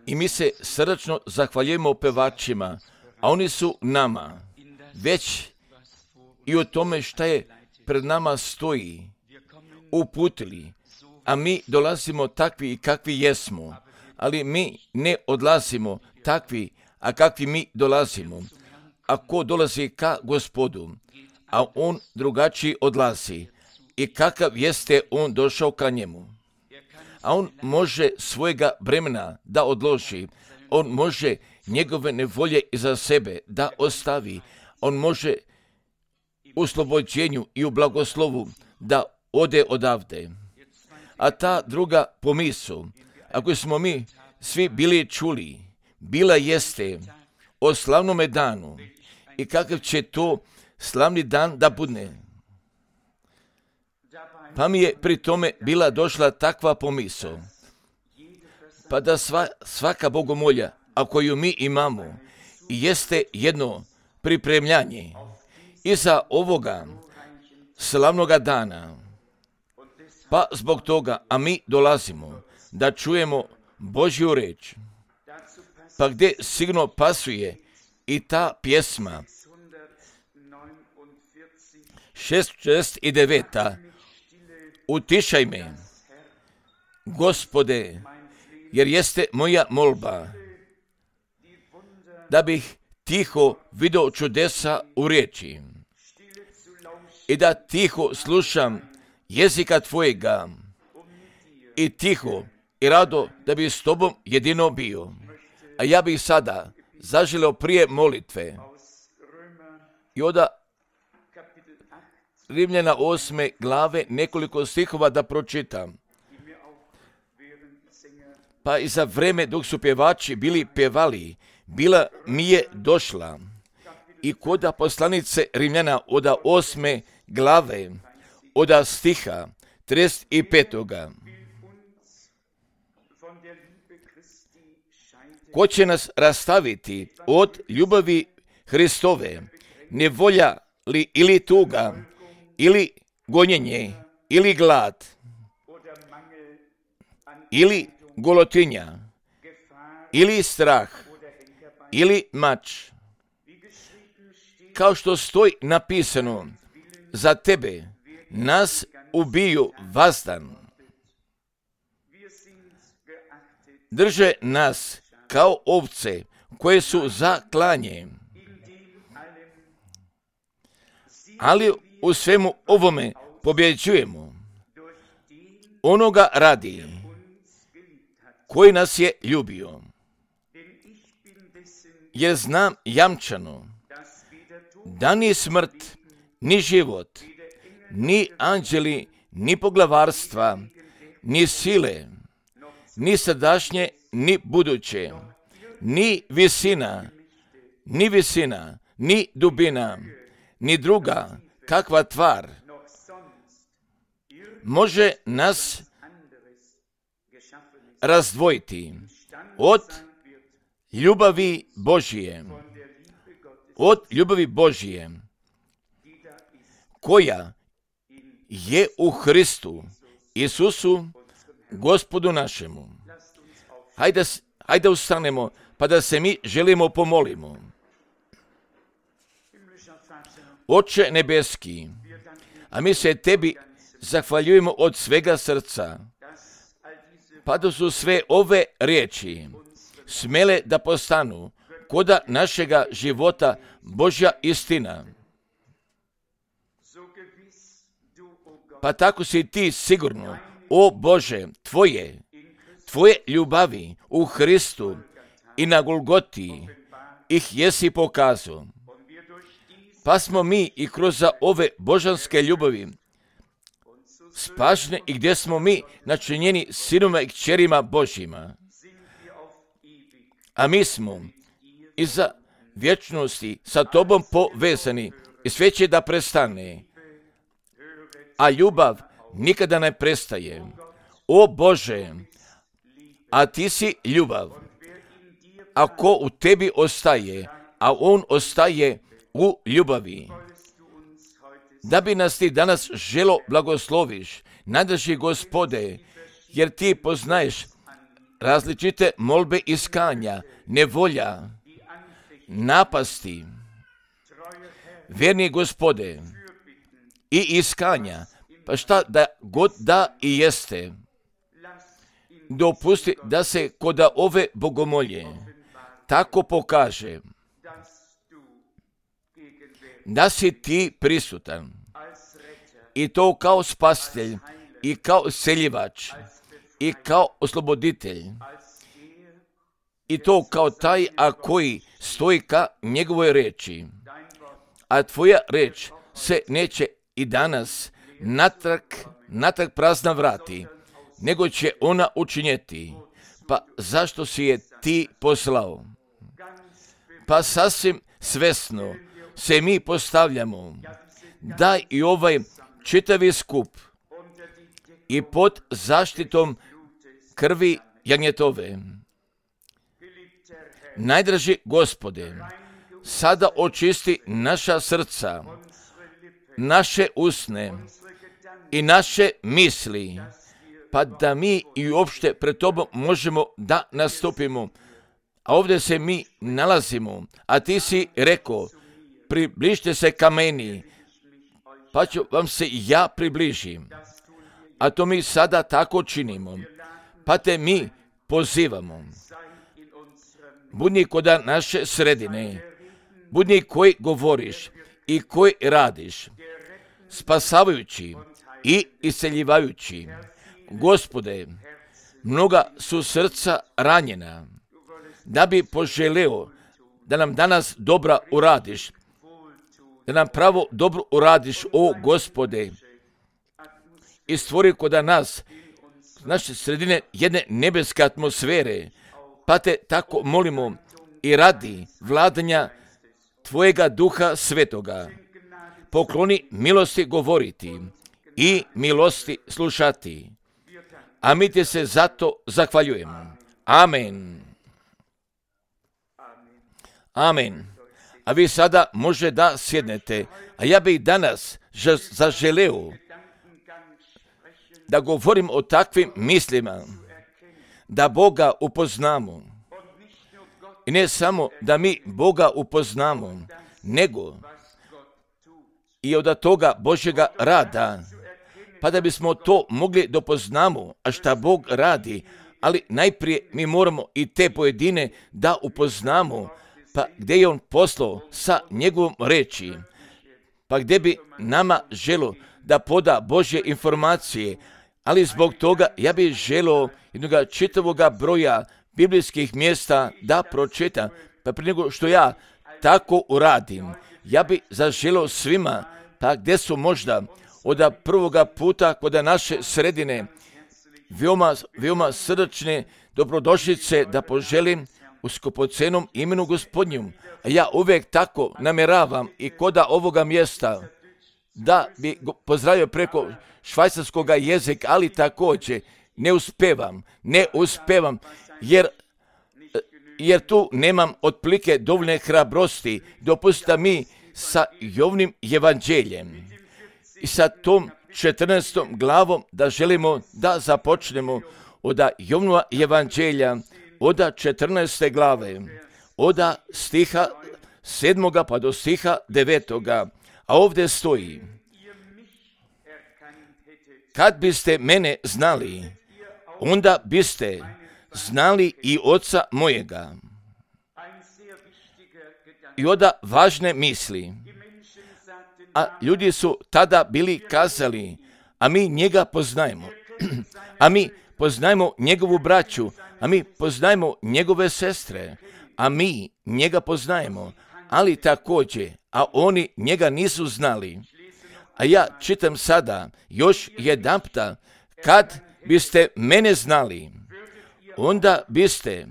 I mi se srdačno zahvaljujemo pevačima, a oni su nama već i o tome šta je pred nama stoji uputili, a mi dolazimo takvi i kakvi jesmo, ali mi ne odlazimo takvi, a kakvi mi dolazimo. Ako dolazi ka Gospodu, a on drugačiji odlazi, i kakav jeste on došao ka njemu. A on može svojega bremena da odloži, on može njegove nevolje iza sebe da ostavi, on može u oslobođenju i u blagoslovu da ode odavde. A ta druga pomisao, ako smo mi svi bili čuli, bila jeste o slavnome danu i kakav će to slavni dan da bude. Pa mi je pri tome bila došla takva pomisao, pa da svaka bogomolja, a koju mi imamo, jeste jedno pripremljanje iza ovoga slavnoga dana. Pa zbog toga, a mi dolazimo da čujemo Božju reč, pa gdje sigurno pasuje i ta pjesma 669. Utišaj me, Gospode, jer jeste moja molba, da bih tiho vidio čudesa u riječi i da tiho slušam jezika Tvojega i tiho i rado da bi s Tobom jedino bio. A ja bih sada zaželio prije molitve i od Rimljana 8. glave nekoliko stihova da pročitam. Pa i za vreme dok su pjevači bili pjevali, bila mi je došla i koda poslanice Rimljana od 8. glave, od stiha 35. Ko će nas rastaviti od ljubavi Hristove, nevolja li ili tuga, ili gonjenje, ili glad, ili golotinja, ili strah, ili mač. Kao što stoji napisano, za tebe nas ubiju vazdan. Drže nas kao ovce koje su za klanje. Ali u svemu ovome pobjeđujemo onoga radi koji nas je ljubio. Jer znam jamčano da ni smrt, ni život, ni anđeli, ni poglavarstva, ni sile, ni sadašnje, ni buduće, ni visina, ni dubina, ni druga kakva tvar može nas razdvojiti od ljubavi Božije, koja je u Hristu Isusu, Gospodu našemu. Hajde ustanemo, pa da se mi želimo pomolimo. Oče nebeski, a mi se Tebi zahvaljujemo od svega srca, pa da su sve ove riječi smele da postanu koda našega života Božja istina. Pa tako si Ti sigurno, o Bože, Tvoje ljubavi u Hristu i na Golgoti ih jesi pokazao. Pa smo mi i kroz ove božanske ljubavi spašeni i gdje smo mi načinjeni sinoma i kćerima Božjima. A mi smo iza vječnosti sa Tobom povezani i sve će da prestane. A ljubav nikada ne prestaje. O Bože, a Ti si ljubav. Ako u Tebi ostaje, a On ostaje u ljubavi, da bi nas Ti danas želo blagosloviš, najdraži Gospode, jer Ti poznaješ različite molbe iskanja, nevolja, napasti, vjerni Gospode, i iskanja, pa šta da god da i jeste, dopusti da se kod ove bogomolje tako pokaže da si ti prisutan, i to kao spasitelj, i kao seljivač, i kao osloboditelj, i to kao taj koji stoji ka njegovoj reči. A tvoja reč se neće i danas natrag prazna vrati, nego će ona učinjeti. Pa zašto si je ti poslao? Pa sasvim svesno se mi postavljamo da i ovaj čitavi skup i pod zaštitom krvi jagnjetove. Najdraži Gospode, sada očisti naša srca, naše usne i naše misli, pa da mi i uopšte pred Tobom možemo da nastupimo. A ovdje se mi nalazimo, a Ti si rekao, približite se ka meni, pa ću vam se ja približim. A to mi sada tako činimo, pa te mi pozivamo. Budi kod naše sredine, budi koji govoriš i koji radiš, spasavajući i isceljivajući. Gospode, mnoga su srca ranjena, da bi poželeo da nam danas dobra uradiš, da nam pravo dobro uradiš, o Gospode, i stvori kod nas, naše sredine, jedne nebeske atmosfere, pa te tako molimo i radi vladanja Tvojega Duha Svetoga. Pokloni milosti govoriti i milosti slušati. A mi Ti se zato zahvaljujemo. Amen. Amen. A vi sada može da sjednete, a ja bih danas zaželeo da govorim o takvim mislima, da Boga upoznamo. I ne samo da mi Boga upoznamo, nego i od toga Božjega rada, pa da bismo to mogli da upoznamo, a šta Bog radi, ali najprije mi moramo i te pojedine da upoznamo, pa gdje je On poslao sa njegovom reči, pa gdje bi nama želo da poda Božje informacije, ali zbog toga ja bih želio jednog čitavoga broja biblijskih mjesta da pročitam, pa prije nego što ja tako uradim, ja bih zaželio svima, pa gdje su možda od prvoga puta kod naše sredine veoma srdačne dobrodošlice da poželim u skupocenom imenu Gospodnjom. A ja uvijek tako namjeravam i kod ovoga mjesta da bi pozdravio preko švajcarskog jezika, ali također ne uspevam, jer tu nemam otprilike dovoljne hrabrosti. Dopustite mi sa Jovnim evanđeljem i sa tom 14. glavom da želimo da započnemo od Jovnova evanđelja, od 14. glave, od stiha 7. pa do stiha 9. A ovdje stoji: kad biste mene znali, onda biste znali i Oca mojega. I onda važne misli. A ljudi su tada bili kazali, a mi njega poznajemo. A mi poznajemo njegovu braću, a mi poznajemo njegove sestre, a mi njega poznajemo, ali također, a oni njega nisu znali. A ja čitam sada još jedanputa, kad biste mene znali, onda biste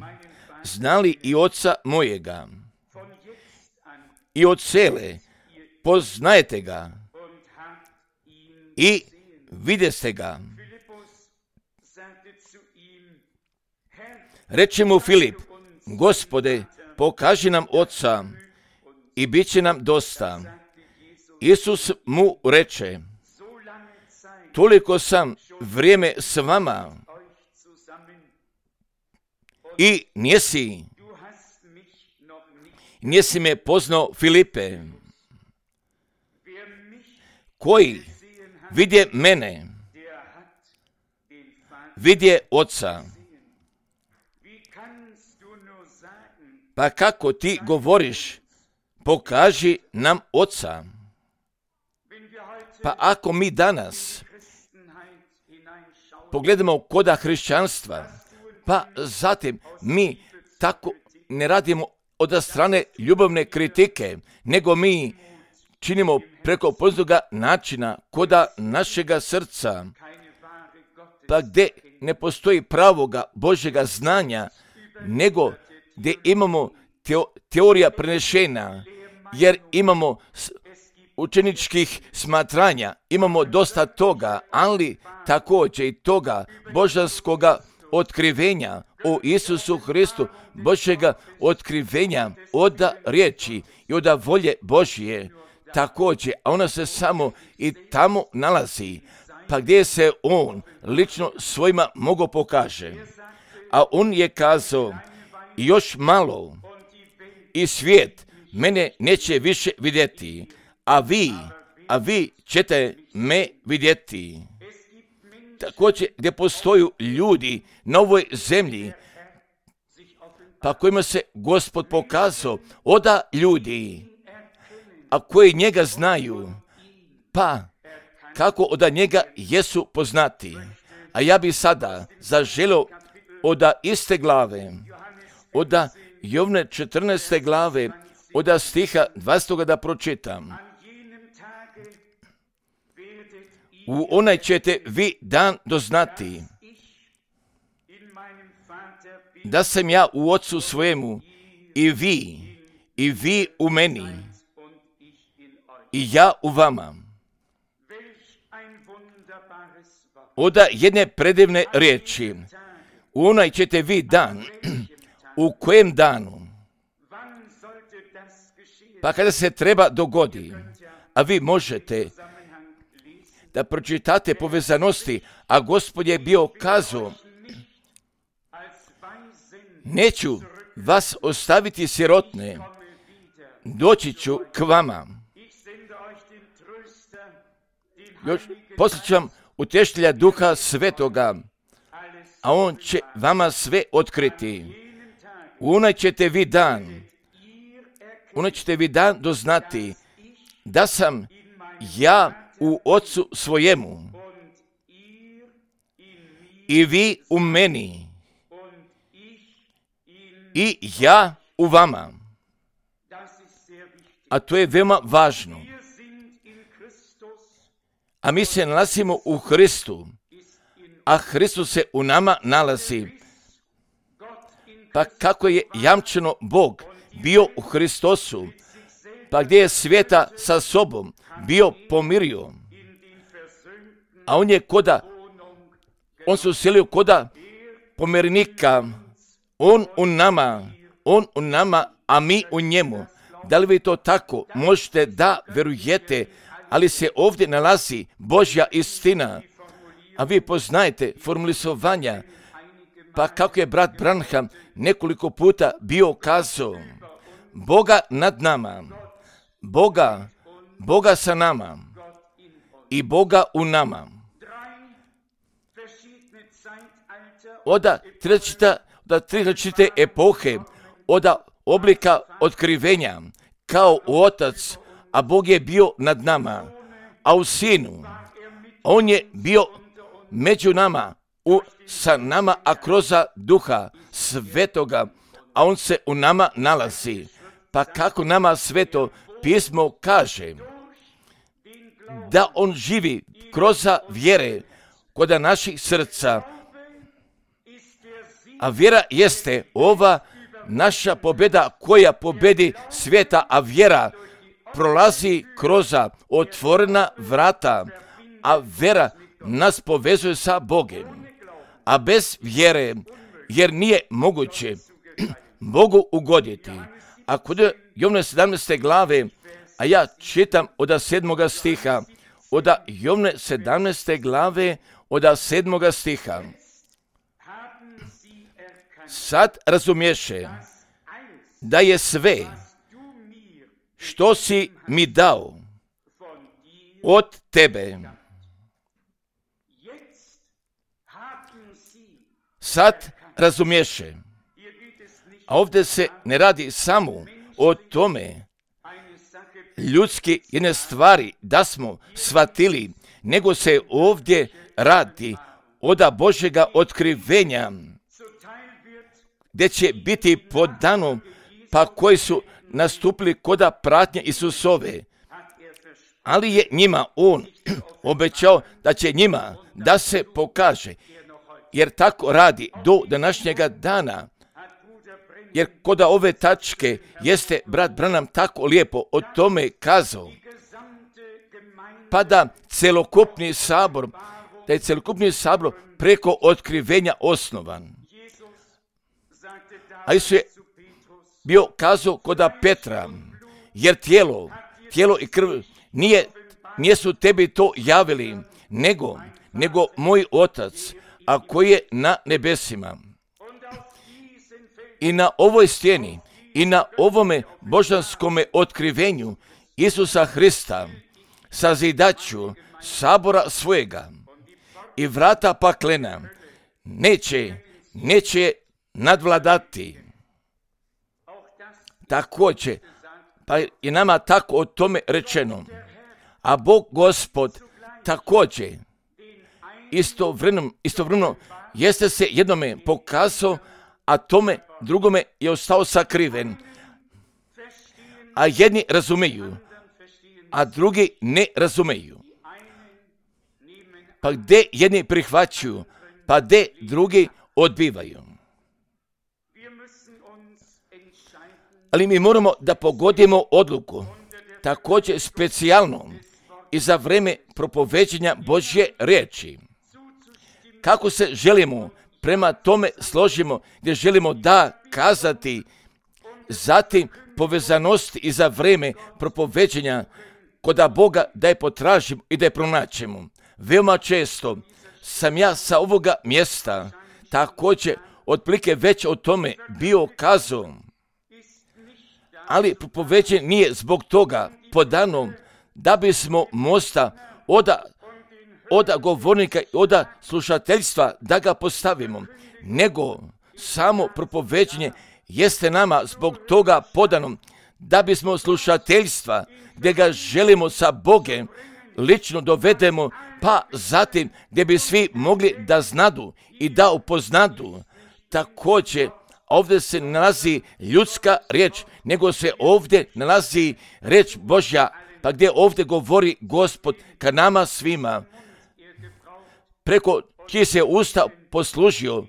znali i Oca mojega. I od cele poznajete ga i videste ga. Reče mu Filip: Gospode, pokaži nam Oca i bit će nam dosta. Isus mu reče: toliko sam vrijeme s vama i nisi me poznao, Filipe. Koji vidje mene, vidje Oca. Pa kako ti govoriš, pokaži nam Oca. Pa ako mi danas pogledamo koda hrišćanstva, pa zatim mi tako ne radimo od strane ljubavne kritike, nego mi činimo preko poznaga načina koda našega srca, pa gdje ne postoji pravoga Božjega znanja, nego gdje imamo teorija prenešena, jer imamo učeničkih smatranja, imamo dosta toga, ali također i toga božanskoga otkrivenja o Isusu Hristu, Božjega otkrivenja od riječi i od volje Božje, također, a ona se samo i tamo nalazi, pa gdje se on lično svojima mogo pokaže. A on je kazao, još malo i svijet mene neće više vidjeti, a vi ćete me vidjeti. Također gdje postoje ljudi na ovoj zemlji, pa kojima se Gospod pokazao, oda ljudi, a koji njega znaju, pa kako od njega jesu poznati. A ja bi sada zaželio od iste glave, od Jovne 14. glave, od stiha 20. da pročitam. U onaj ćete vi dan doznati da sam ja u Otcu svojemu i vi u meni i ja u vama. Od jedne predivne riječi, u onaj ćete vi dan, u kojem danu, pa kada se treba dogodi, a vi možete da pročitate povezanosti, a Gospod je bio kazao, neću vas ostaviti sirotne, doći ću k vama. Još posjećam utještelja Duha Svetoga, a on će vama sve otkriti. U onaj ćete vi dan doznati da sam ja u Otcu svojemu i vi u meni i ja u vama. A to je veoma važno. A mi se nalazimo u Hristu, a Hristos se u nama nalazi. Pa kako je jamčeno Bog bio u Hristosu, pa gdje je svijeta sa sobom bio pomirio, a on se uselio koda pomirnika, on u nama, a mi u njemu. Da li vi to tako možete da verujete, ali se ovdje nalazi Božja istina, a vi poznajete formulisovanja, pa kako je brat Branham nekoliko puta bio kazao, Boga nad nama, Boga sa nama i Boga u nama. Od tri različite epohe, od oblika otkrivenja, kao Otac, a Bog je bio nad nama, a u Sinu, on je bio među nama, sa nama, a kroz Duha Svetoga, a on se u nama nalazi. Pa kako nama Sveto pismo kaže da on živi kroz vjere kod naših srca, a vjera jeste ova naša pobjeda koja pobjedi svijeta, a vjera prolazi kroz otvorena vrata, a vjera nas povezuje sa Bogom. A bez vjere, jer nije moguće Bogu ugoditi. A kod Jovne 17. glave, a ja čitam od 7. stiha, od Jovne 17. glave, od 7. stiha. sad razumješe da je sve što si mi dao od tebe. Sad razumješe. A ovdje se ne radi samo o tome ljudski jedne stvari da smo shvatili, nego se ovdje radi od Božjega otkrivenja, gdje će biti podano, pa koji su nastupili koda pratnje Isusove. Ali je njima on obećao da će njima da se pokaže, jer tako radi do današnjega dana. Jer koda ove tačke jeste brat Branham tako lijepo o tome kazao, pa da je celokupni sabor preko otkrivenja osnovan. A Isus je bio kazao koda Petra, jer tijelo i krv nisu tebi to javili, nego moj Otac, a koji je na nebesima. I na ovoj stijeni i na ovome božanskome otkrivenju Isusa Hrista, sazidaću sabora svojega i vrata paklena neće nadvladati. Također, pa je nama tako o tome rečeno. A Bog Gospod također istovremeno jeste se jednome pokazao, a tome drugome je ostao sakriven. A jedni razumiju, a drugi ne razumiju. Pa gdje jedni prihvaćaju, pa gdje drugi odbivaju. Ali mi moramo da pogodimo odluku, također specijalno i za vrijeme propoveđenja Božje riječi. Kako se želimo prema tome složimo, gdje želimo da kazati, zatim povezanosti i za vrijeme propoveđenja koda Boga da je potražimo i da je pronaćemo. Veoma često sam ja sa ovoga mjesta također otprilike već o tome bio kazao, ali propoveđenje nije zbog toga podano da bismo mosta od govornika i od slušateljstva da ga postavimo, nego samo propoveđenje jeste nama zbog toga podano da bismo slušateljstva gdje ga želimo sa Bogem lično dovedemo, pa zatim gdje bi svi mogli da znadu i da upoznadu. Također ovdje se nalazi ljudska riječ, nego se ovdje nalazi riječ Božja, pa gdje ovdje govori Gospod ka nama svima, preko čiji se usta poslužio,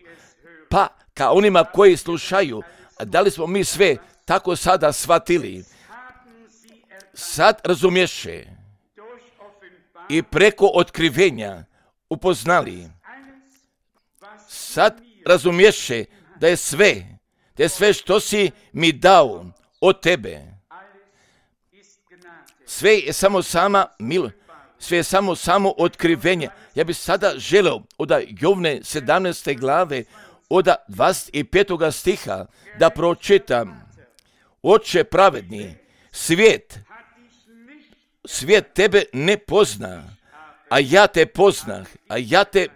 pa ka onima koji slušaju. Da li smo mi sve tako sada shvatili? Sad razumješe i preko otkrivenja upoznali. Sad razumješe da je sve što si mi dao od tebe. Sve je samo sama milost, sve je samo otkrivenje. Ja bih sada želeo od Jovne 17. glave, od 25. stiha da pročitam. Oče pravedni, svijet tebe ne pozna, a ja te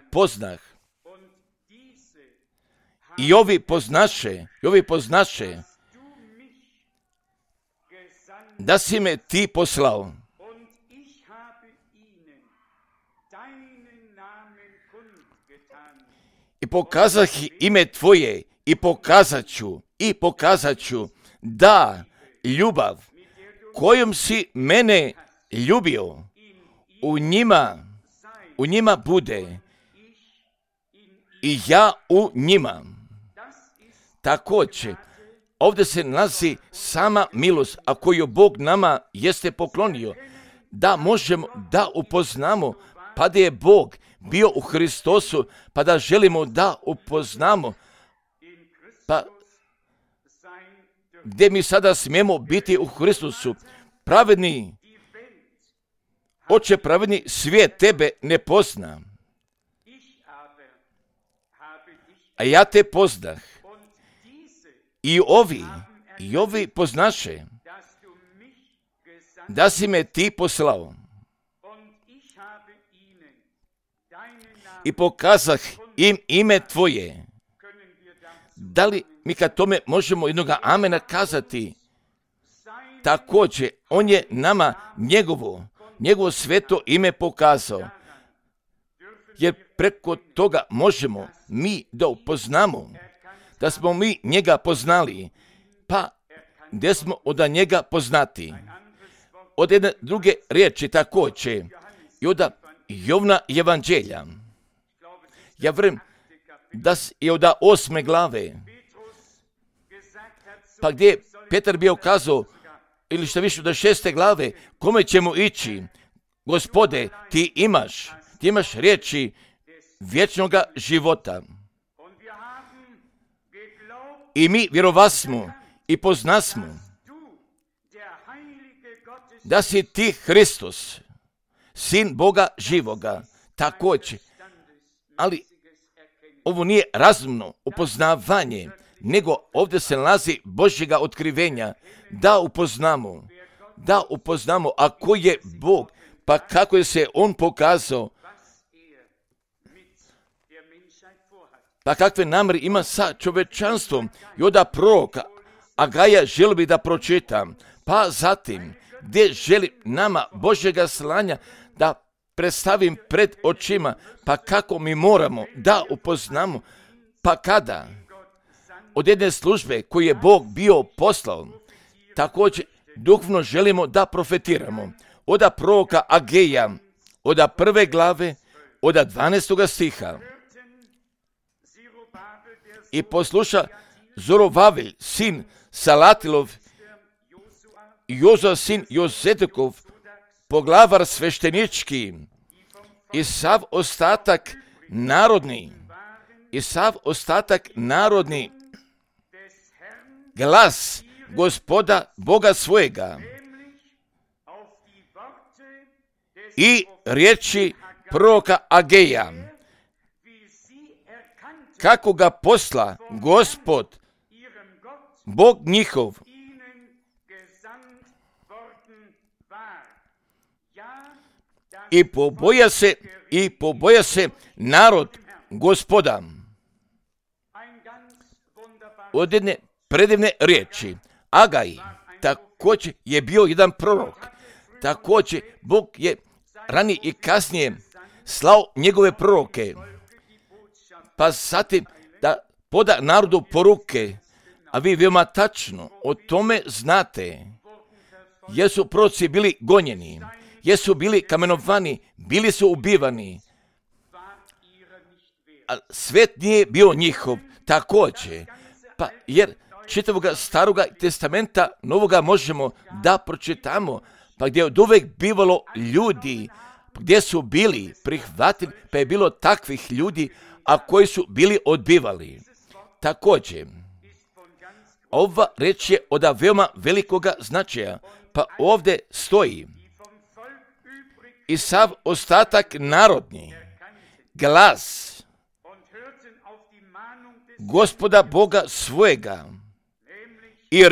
poznah. I ovi poznaše da si me ti poslao. I pokazah ime tvoje i pokazat ću da ljubav kojom si mene ljubio u njima bude i ja u njima. Također, ovdje se nalazi sama milost, a koju Bog nama jeste poklonio, da možemo da upoznamo, pa da je Bog bio u Hristosu, pa da želimo da upoznamo, pa gdje mi sada smijemo biti u Hristosu. Pravedni, Oče pravedni, svijet tebe ne pozna, a ja te poznah. I ovi poznaše da si me ti poslao. I pokazah im ime tvoje. Da li mi kad tome možemo jednoga amena kazati? Također, on je nama njegovo sveto ime pokazao. Jer preko toga možemo mi da upoznamo, da smo mi njega poznali, pa gdje smo od njega poznati. Od jedne druge riječi također i od Jovna evanđelja. Ja vjerujem da je od 8. glave, pa gdje je Petar bio kazao, ili što više od 6. glave, kome ćemo ići? Gospode, ti imaš riječi vječnoga života. I mi vjerovasmo i poznasmo da si ti Hristos, sin Boga živoga, također. Ali ovo nije razumno upoznavanje, nego ovdje se nalazi Božjega otkrivenja, da upoznamo ako je Bog, pa kako je se on pokazao, pa kakve namjere ima sa čovječanstvom. I onda proroka Agaja želi bi da pročitam, pa zatim gdje želi nama Božjega slanja da predstavim pred očima, pa kako mi moramo da upoznamo, pa kada od jedne službe koju je Bog bio poslao, također duhovno želimo da profetiramo. Od proroka Ageja, od 1. glave, od 12. stiha. I posluša Zorovavelj, sin Salatilov, Jozua, sin Jozetekov, poglavar sveštenički, i sav ostatak narodni, glas Gospoda Boga svojega i riječi proroka Ageja, kako ga posla Gospod Bog njihov. I poboja se narod Gospoda. Od jedne predivne riječi. Agaj također je bio jedan prorok. Također Bog je ranije i kasnije slao njegove proroke. Pa zatim da poda narodu poruke, a vi veoma tačno o tome znate. Jesu proroci bili gonjeni, jesu bili kamenovani, bili su ubivani. A svet nije bio njihov također. Pa jer čitavog staroga testamenta novoga možemo da pročitamo, pa gdje je od uvek bivalo ljudi, gdje su bili prihvatili, pa je bilo takvih ljudi, a koji su bili odbivali. Također, ova reč je od veoma velikoga značaja, pa ovdje stoji i sav ostatak narodni, glas Gospoda Boga svojega i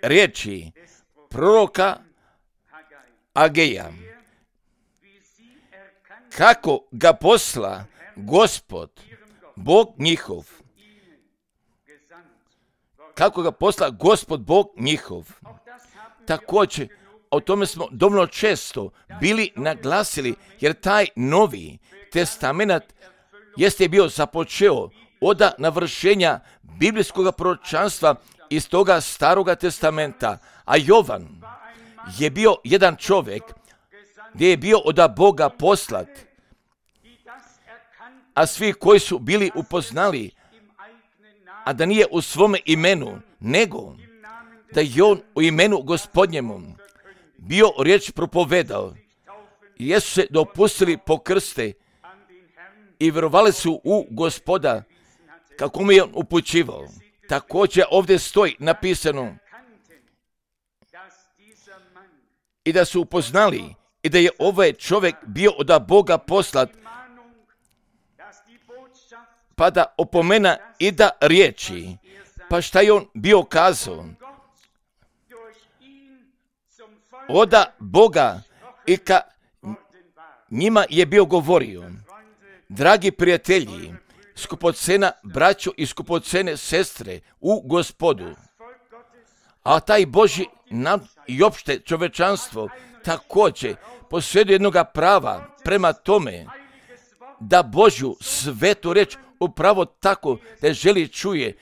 riječi proroka Ageja, kako ga posla Gospod Bog njihov. Kako ga posla Gospod Bog njihov. Također, o tome smo dovoljno često bili naglasili, jer taj Novi testament jeste bio započeo od navršenja biblijskog proročanstva iz toga staroga testamenta. A Jovan je bio jedan čovjek gdje je bio od Boga poslat, a svi koji su bili upoznali, a da nije u svome imenu, nego da je on u imenu Gospodnjemu bio riječ propovedao. Jesu se dopustili pokrste i vjerovali su u Gospoda kako mu je on upućivao. Također ovdje stoji napisano i da su upoznali i da je ovaj čovjek bio od Boga poslat pa da opomena i da riječi. Pa šta je on bio kazao? Oda Boga i ka njima je bio govorio. Dragi prijatelji, skupocena braćo i skupocene sestre u Gospodu, a taj Božji i opšte čovečanstvo također posjeduje jednoga prava prema tome da Božju svetu reč upravo tako da želi čuje,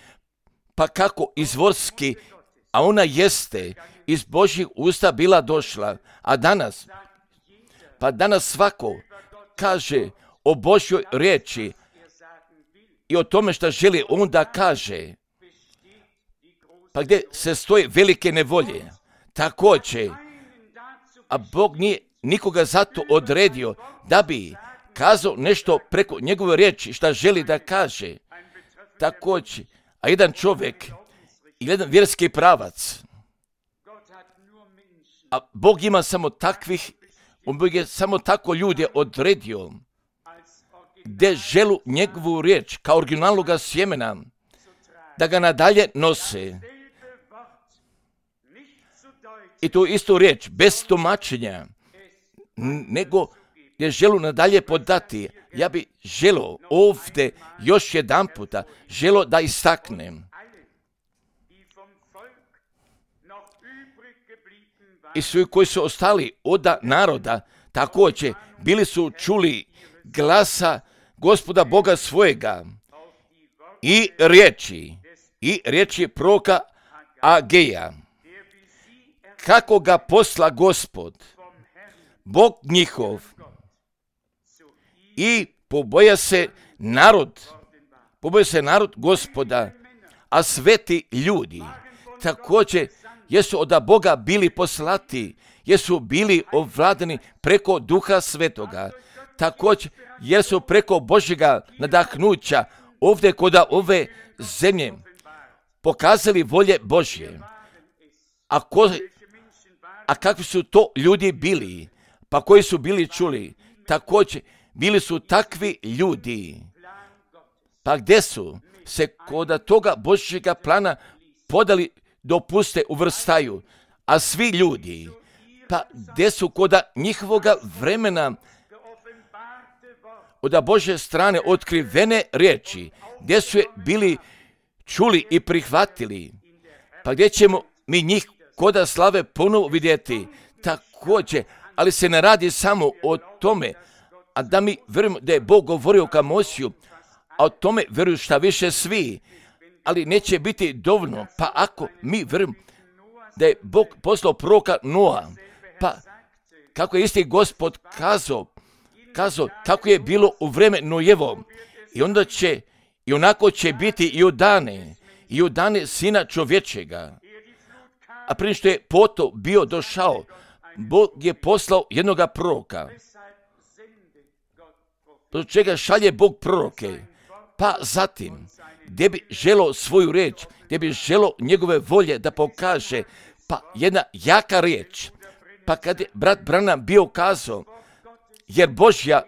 pa kako izvorski, a ona jeste iz Božjih usta bila došla, a danas svako kaže o Božjoj riječi i o tome što želi on da kaže, pa gdje se stoje velike nevolje, također, a Bog nije nikoga zato odredio da bi kazao nešto preko njegove riječi što želi da kaže, također, a jedan čovjek i jedan vjerski pravac, a Bog ima samo takvih, Bog je samo tako ljude odredio, gdje želu njegovu riječ kao originalnoga sjemena, da ga nadalje nose. I tu istu riječ, bez tumačenja, nego gdje želu nadalje podati. Ja bi želo ovdje još jedan puta, želo da istaknem. I svi koji su ostali od naroda, također bili su čuli glasa Gospoda Boga svojega i riječi proroka Ageja. Kako ga posla Gospod, Bog njihov, i poboja se narod Gospoda, a sveti ljudi također jesu od Boga bili poslati, jesu bili ovladani preko Duha Svetoga, također jesu preko Božjega nadahnuća ovdje kod ove zemlje pokazali volje Božje. A kakvi su to ljudi bili, pa koji su bili čuli, također bili su takvi ljudi, pa gdje su se kod toga Božjega plana podali, dopuste, uvrstaju, a svi ljudi, pa gdje su kod njihovoga vremena od Božje strane otkrivene riječi, gdje su je bili čuli i prihvatili, pa gdje ćemo mi njih koda slave ponovo vidjeti, također, ali se ne radi samo o tome, a da mi vjerujemo da je Bog govorio ka Mojsiju, a o tome vjeruju šta više svi, ali neće biti dovoljno, pa ako mi vjerujemo da je Bog poslao proroka Noa, pa kako je isti Gospod kazao kako je bilo u vreme Nojevo, i onda će, i onako će biti i u dane Sina čovječega. A prije što je poto bio došao, Bog je poslao jednoga proroka. Do čega šalje Bog proroke? Pa zatim, gdje bi želo svoju riječ, gdje bi želo njegove volje da pokaže, pa jedna jaka riječ. Pa kad je brat Branham bio kazao, jer Božja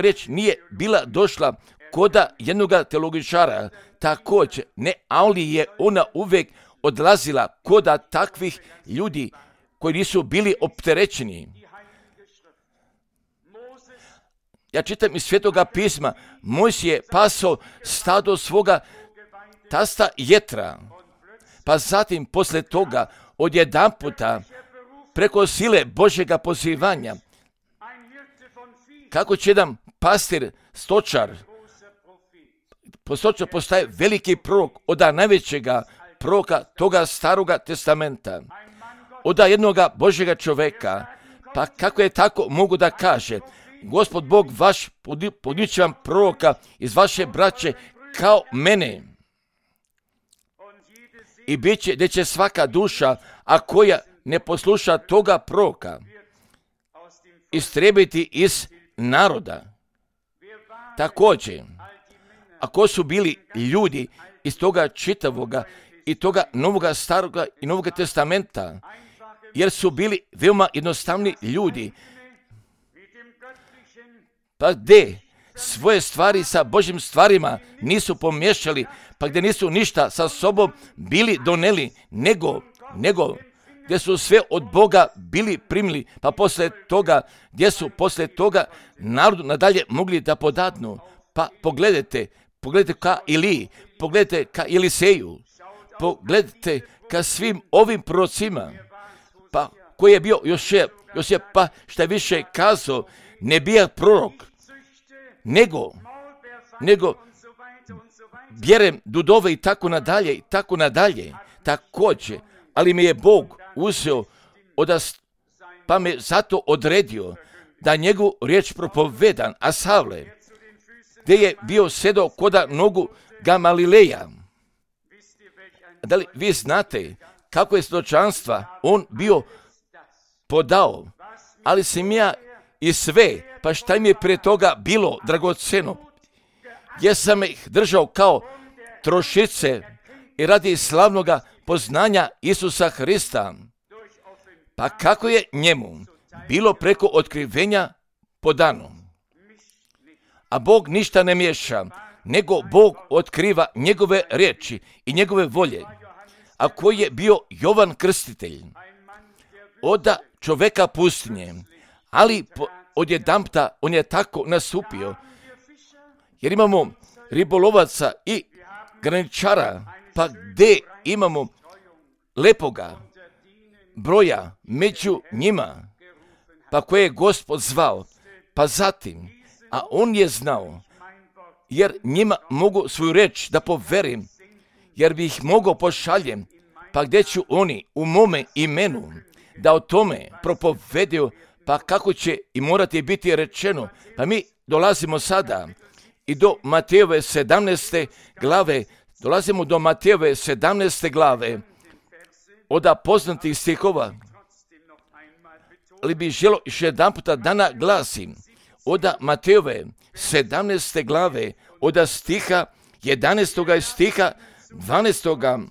riječ nije bila došla koda jednoga teologičara, također ne, ali je ona uvijek odlazila koda takvih ljudi koji nisu bili opterećeni. Ja čitam iz Svetoga pisma, Mojsije je pasao stado svoga tasta Jetra, pa zatim poslije toga odjedanputa preko sile Božjega pozivanja, kako će jedan pastir, stočar postaje veliki prorok od najvećega proroka toga Staroga testamenta, od jednoga Božjega čoveka, pa kako je tako mogu da kaže, Gospod Bog vaš podići vam proroka iz vaše braće kao mene. I bit će, gdje će svaka duša, a koja ne posluša toga proroka, istrebiti iz naroda. Također, ako su bili ljudi iz toga čitavoga i toga Novoga Staroga i Novoga testamenta, jer su bili veoma jednostavni ljudi, pa gdje svoje stvari sa Božjim stvarima nisu pomiješali, pa gdje nisu ništa sa sobom bili doneli, nego gdje su sve od Boga bili primili, pa poslije toga, gdje su poslije toga narodu nadalje mogli da podadnu. Pa pogledajte ka Iliji, pogledajte ka Eliseju, pogledajte ka svim ovim prorocima, pa koji je bio još je pa šta više kazao, ne bija prorok, nego bjerem dudove i tako nadalje, također, ali mi je Bog uzeo pa me zato odredio da njegovu riječ propovedam, a Savle, gdje je bio sedao koda nogu Gamalileja. Da li vi znate kako je svjedočanstva on bio podao, ali sam ja i sve, pa šta mi je prije toga bilo dragoceno, jer sam ih držao kao trošice i radi slavnoga poznanja Isusa Hrista, pa kako je njemu bilo preko otkrivenja podano. A Bog ništa ne miješa, nego Bog otkriva njegove riječi i njegove volje. A koji je bio Jovan Krstitelj, oda čoveka pustinje, ali odjedanputa on je tako nastupio, jer imamo ribolovaca i graničara, pa gdje imamo lepoga broja među njima, pa koje je Gospod zvao, pa zatim, a on je znao, jer njima mogu svoju reč da poverim, jer bi ih mogao pošaljem, pa gdje ću oni u mome imenu da o tome propovedio, pa kako će i morati biti rečeno. Pa mi dolazimo sada i do Matejove 17. glave, od poznatih stihova, ali bi želo još jedan puta da naglasim, od Matejove 17. glave, od stiha 11. i stiha 12.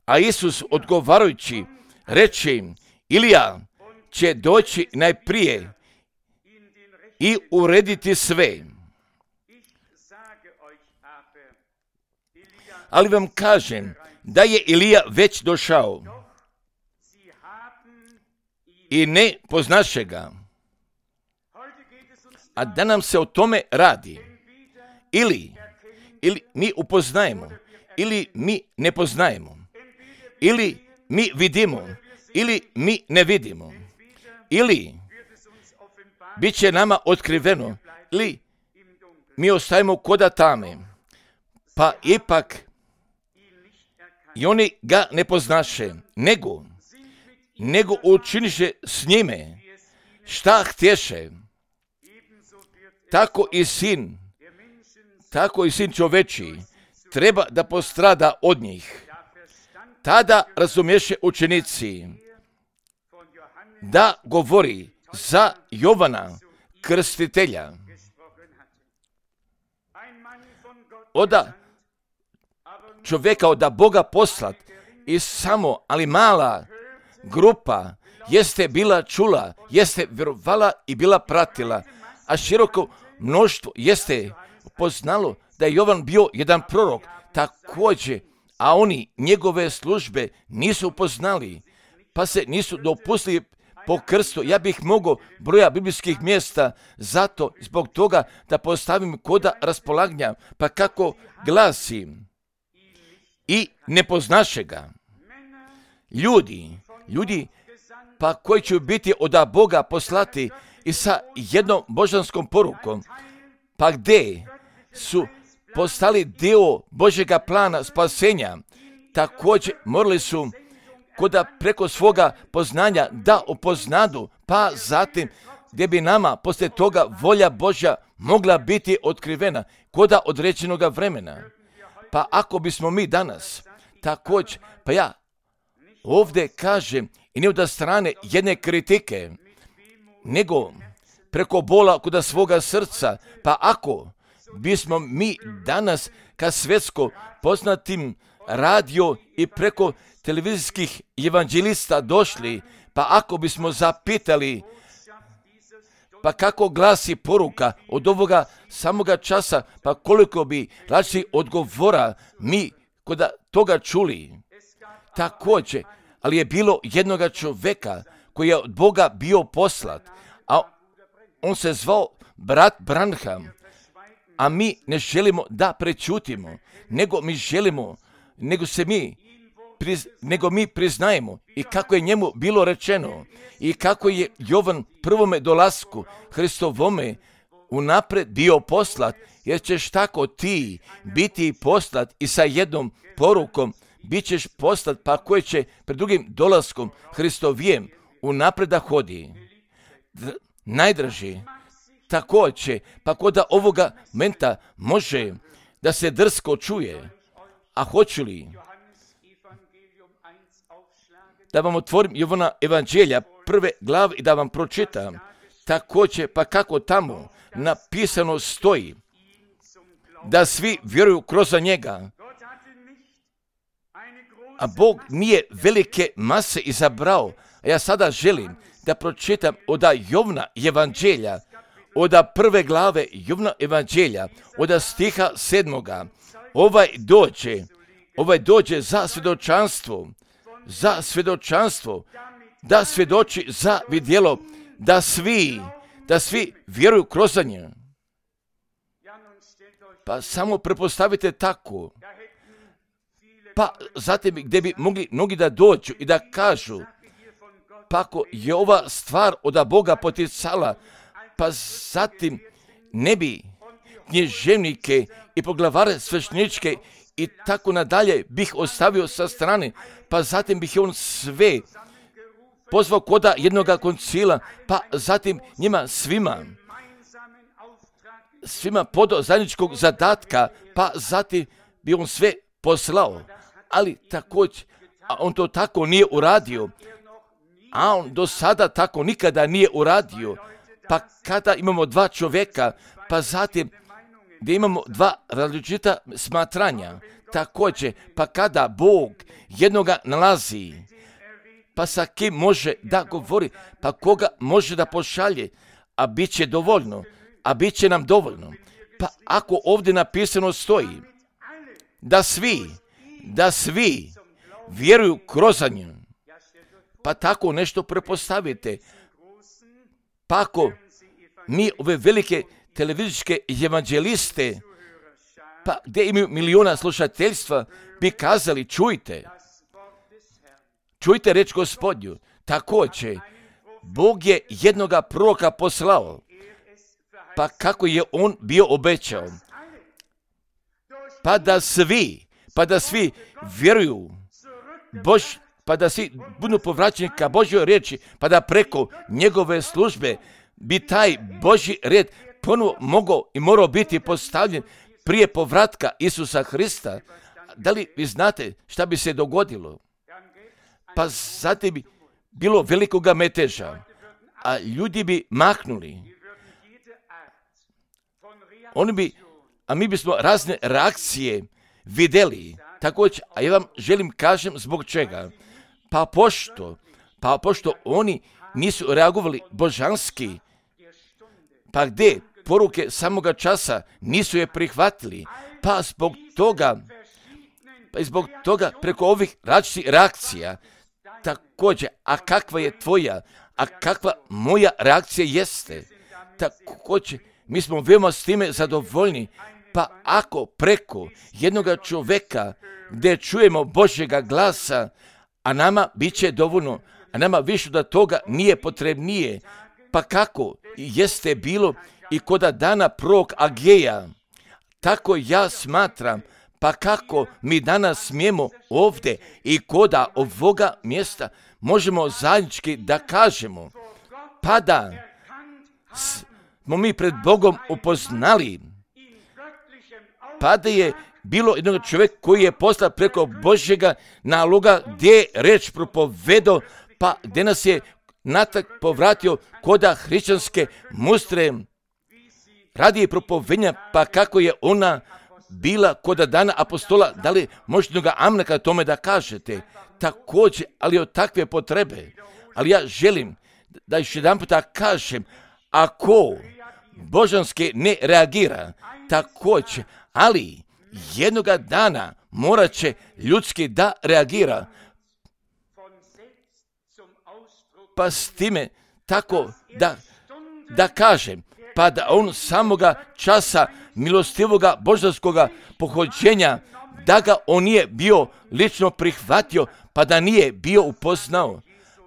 A Isus odgovarajući reče im, Ilija će doći najprije i urediti sve. Ali vam kažem da je Ilija već došao i ne poznaše ga. A da nam se o tome radi. Ili mi upoznajemo, ili mi ne poznajemo. Ili mi vidimo, ili mi ne vidimo. Ili bit će nama otkriveno, ili mi ostajemo koda tame. Pa ipak i oni ga ne poznaše, nego učiniše s njime šta htješe. Tako i sin čoveči treba da postrada od njih. Tada razumješe učenici da govori za Jovana Krstitelja. Oda čovjeka od Boga poslat i samo, ali mala grupa jeste bila čula, jeste vjerovala i bila pratila, a široko mnoštvo jeste poznalo da je Jovan bio jedan prorok također, a oni njegove službe nisu poznali, pa se nisu dopustili po krstu. Ja bih mogao broja biblijskih mjesta zato zbog toga da postavim koda raspolaganja, pa kako glasi i ne poznaše ga. Ljudi pa koji će biti od Boga poslati i sa jednom božanskom porukom, pa gdje su postali dio Božjega plana spasenja, također morali su koda preko svoga poznanja da upoznadu, pa zatim gdje bi nama poslije toga volja Božja mogla biti otkrivena koda određenoga vremena. Pa ako bismo mi danas također, pa ja ovdje kažem i ne od strane jedne kritike, nego preko bola koda svoga srca, pa ako bismo mi danas ka svjetsko poznatim radio i preko televizijskih evanđelista došli, pa ako bismo zapitali pa kako glasi poruka od ovoga samoga časa, pa koliko bi različitih odgovora mi kod toga čuli. Također, ali je bilo jednoga čovjeka koji je od Boga bio poslat, a on se zvao brat Branham, a mi ne želimo da prečutimo, nego mi priznajemo i kako je njemu bilo rečeno i kako je Jovan prvome dolasku Hristovome unaprijed bio poslat, jer ćeš tako ti biti poslat i sa jednom porukom bit ćeš poslat, pa koji će pred drugim dolaskom Hristovijem unaprijed da hodi. Najdraži, također, pa kod ovoga momenta može da se drsko čuje, a hoću li da vam otvorim Jovana Evanđelja prve glave i da vam pročitam također, pa kako tamo napisano stoji da svi vjeruju kroz njega, a Bog nije velike mase izabrao. A ja sada želim da pročitam od Jovana Evanđelja, od prve glave Jovana Evanđelja, od stiha 7. Ovaj dođe za svjedočanstvo, da svjedoči za vidjelo, da svi vjeruju kroz nje. Pa samo prepostavite tako. Pa zatim gdje bi mogli mnogi da dođu i da kažu, pa ako je ova stvar od Boga poticala, pa zatim ne bi knježevnike i poglavare svešteničke i tako nadalje bih ostavio sa strane, pa zatim bih on sve pozvao koda jednoga koncila, pa zatim njima svima podao zajedničkog zadatka, pa zatim bi on sve poslao. Ali također, a on to tako nije uradio, a on do sada tako nikada nije uradio, pa kada imamo dva čovjeka, pa zatim gdje imamo dva različita smatranja, također, pa kada Bog jednoga nalazi, pa sa kim može da govori, pa koga može da pošalje, a bit će dovoljno, a bit će nam dovoljno. Pa ako ovdje napisano stoji da svi vjeruju kroz nju, pa tako nešto prepostavite. Pa ako mi ove velike televizijske evanđeliste, pa gdje imaju miliona slušateljstva, bi kazali, čujte reč Gospodnju. Također, Bog je jednoga proroka poslao, pa kako je on bio obećao, pa da svi vjeruju pa da svi budu povraćeni ka Božjoj riječi, pa da preko njegove službe bi taj Božji red ponovo mogao i morao biti postavljen prije povratka Isusa Hrista. Da li vi znate šta bi se dogodilo? Pa zatim bi bilo velikoga meteža, a ljudi bi mahnuli. A mi bismo razne reakcije vidjeli. Također, a ja vam želim kažem zbog čega. Pa pošto oni nisu reagovali božanski, pa gdje poruke samoga časa nisu je prihvatili, pa zbog toga preko ovih različitih reakcija, također, a kakva je tvoja, a kakva moja reakcija jeste, također, mi smo veoma s time zadovoljni, pa ako preko jednoga čovjeka gdje čujemo Božjega glasa, a nama bit će dovoljno, a nama više da toga nije potrebnije, pa kako jeste bilo i koda dana prorok Ageja, tako ja smatram, pa kako mi danas smijemo ovdje i koda ovoga mjesta možemo zajednički da kažemo, pa da smo mi pred Bogom upoznali, pa da je bilo jednog čovjeka koji je postao preko Božjega naloga gdje je reč propovedao, pa gdje nas je natrag povratio koda hrišćanske mustre radi propovednja, pa kako je ona bila koda dana apostola. Da li možete jednoga amnaka tome da kažete? Također, ali od takve potrebe. Ali ja želim da još jedan puta kažem, ako božanski ne reagira, također, ali jednoga dana morat će ljudski da reagira. Pa s time tako da kažem, pa da on samoga časa milostivoga božanskoga pohođenja, da ga on nije bio lično prihvatio, pa da nije bio upoznao.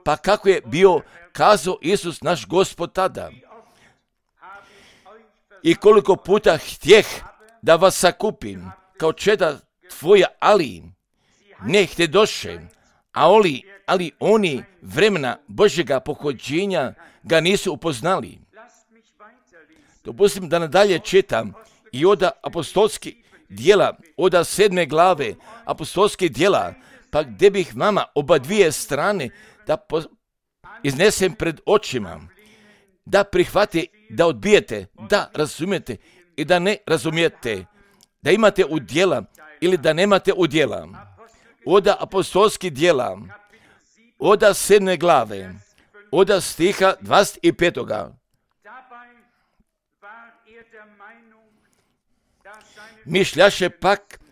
Pa kako je bio kazao Isus naš Gospod tada. I koliko puta htjeh da vas sakupim kao čeda tvoja, ali ne htjedoše, ali oni vremena Božjega pohođenja ga nisu upoznali. Dopustim da nadalje čitam i od apostolskih djela, od 7. glave apostolskih djela, pa gdje bih vama oba dvije strane da iznesem pred očima, da prihvate, da odbijete, da razumijete i da ne razumijete, da imate udjela ili da nemate udjela. Od apostolskih djela, od 7. glave, od stiha 25.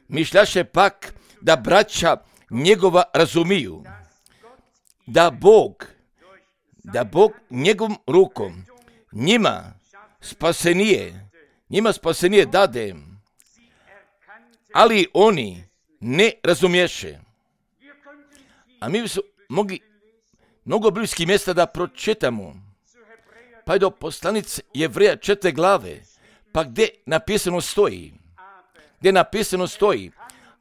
Mišljaše pak da braća njegova razumiju, da Bog njegovom rukom njima spasenije dade, ali oni ne razumješe. A mi su mogli mnogo bliskih mjesta da pročitamo, pa je do poslanice Jevreja 4. glave, pa gdje napisano stoji,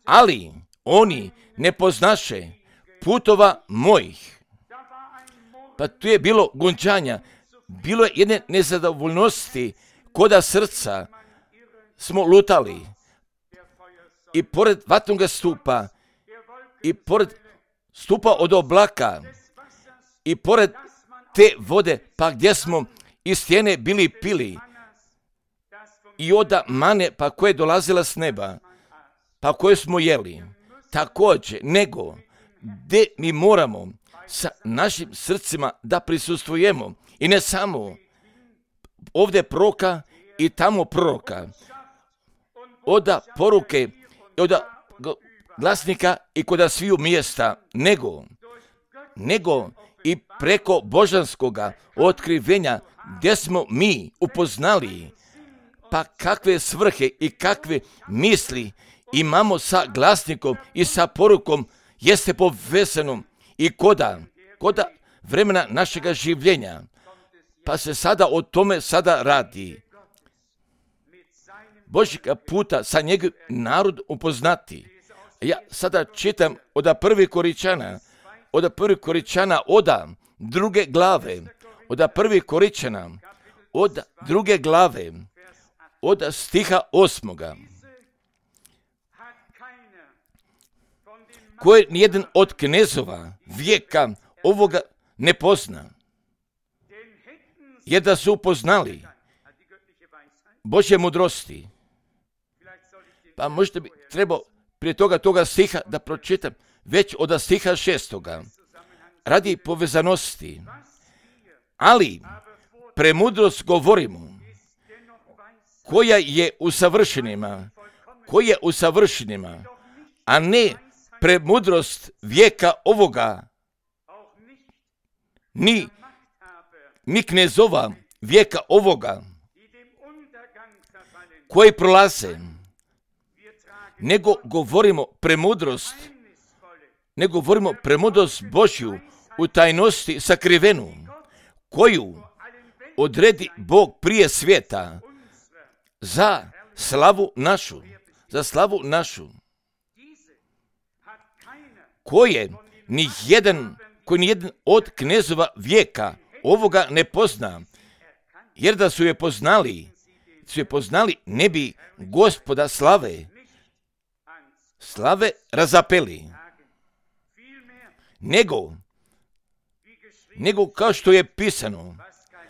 ali oni ne poznaše putova mojih. Pa tu je bilo gončanja, bilo je jedne nezadovoljnosti, koda srca smo lutali. I pored vatnoga stupa, i pored stupa od oblaka, i pored te vode, pa gdje smo iz stjene bili pili, i od mane, pa koja je dolazila s neba, pa koje smo jeli, također, nego gdje mi moramo sa našim srcima da prisustvujemo, i ne samo ovdje proroka i tamo proroka, od poruke, od glasnika i kod sviju mjesta, nego i preko božanskoga otkrivenja gdje smo mi upoznali, pa kakve svrhe i kakve misli imamo sa glasnikom i sa porukom jeste povezano i koda vremena našega življenja. Pa se sada o tome sada radi. Božjega puta sa njegov narod upoznati. Ja sada čitam od 1. Koričana, od 2. glave, od 1. Koričana, od 2. glave, od stiha 8. Koje nijedan od knezova vijeka ovoga ne pozna, jer da su upoznali Božje mudrosti. Pa možda bi trebao prije toga stiha da pročitam već od stiha 6. radi povezanosti. Ali premudrost govorimo, koja je u savršenima, a ne premudrost vijeka ovoga, ni knezova vijeka ovoga, koji prolaze, nego govorimo premudrost Božju u tajnosti sakrivenu, koju odredi Bog prije svijeta za slavu našu, koje nijedan od knezova vijeka ovoga ne pozna, jer da su je poznali, ne bi Gospoda slave razapeli, nego kao što je pisano,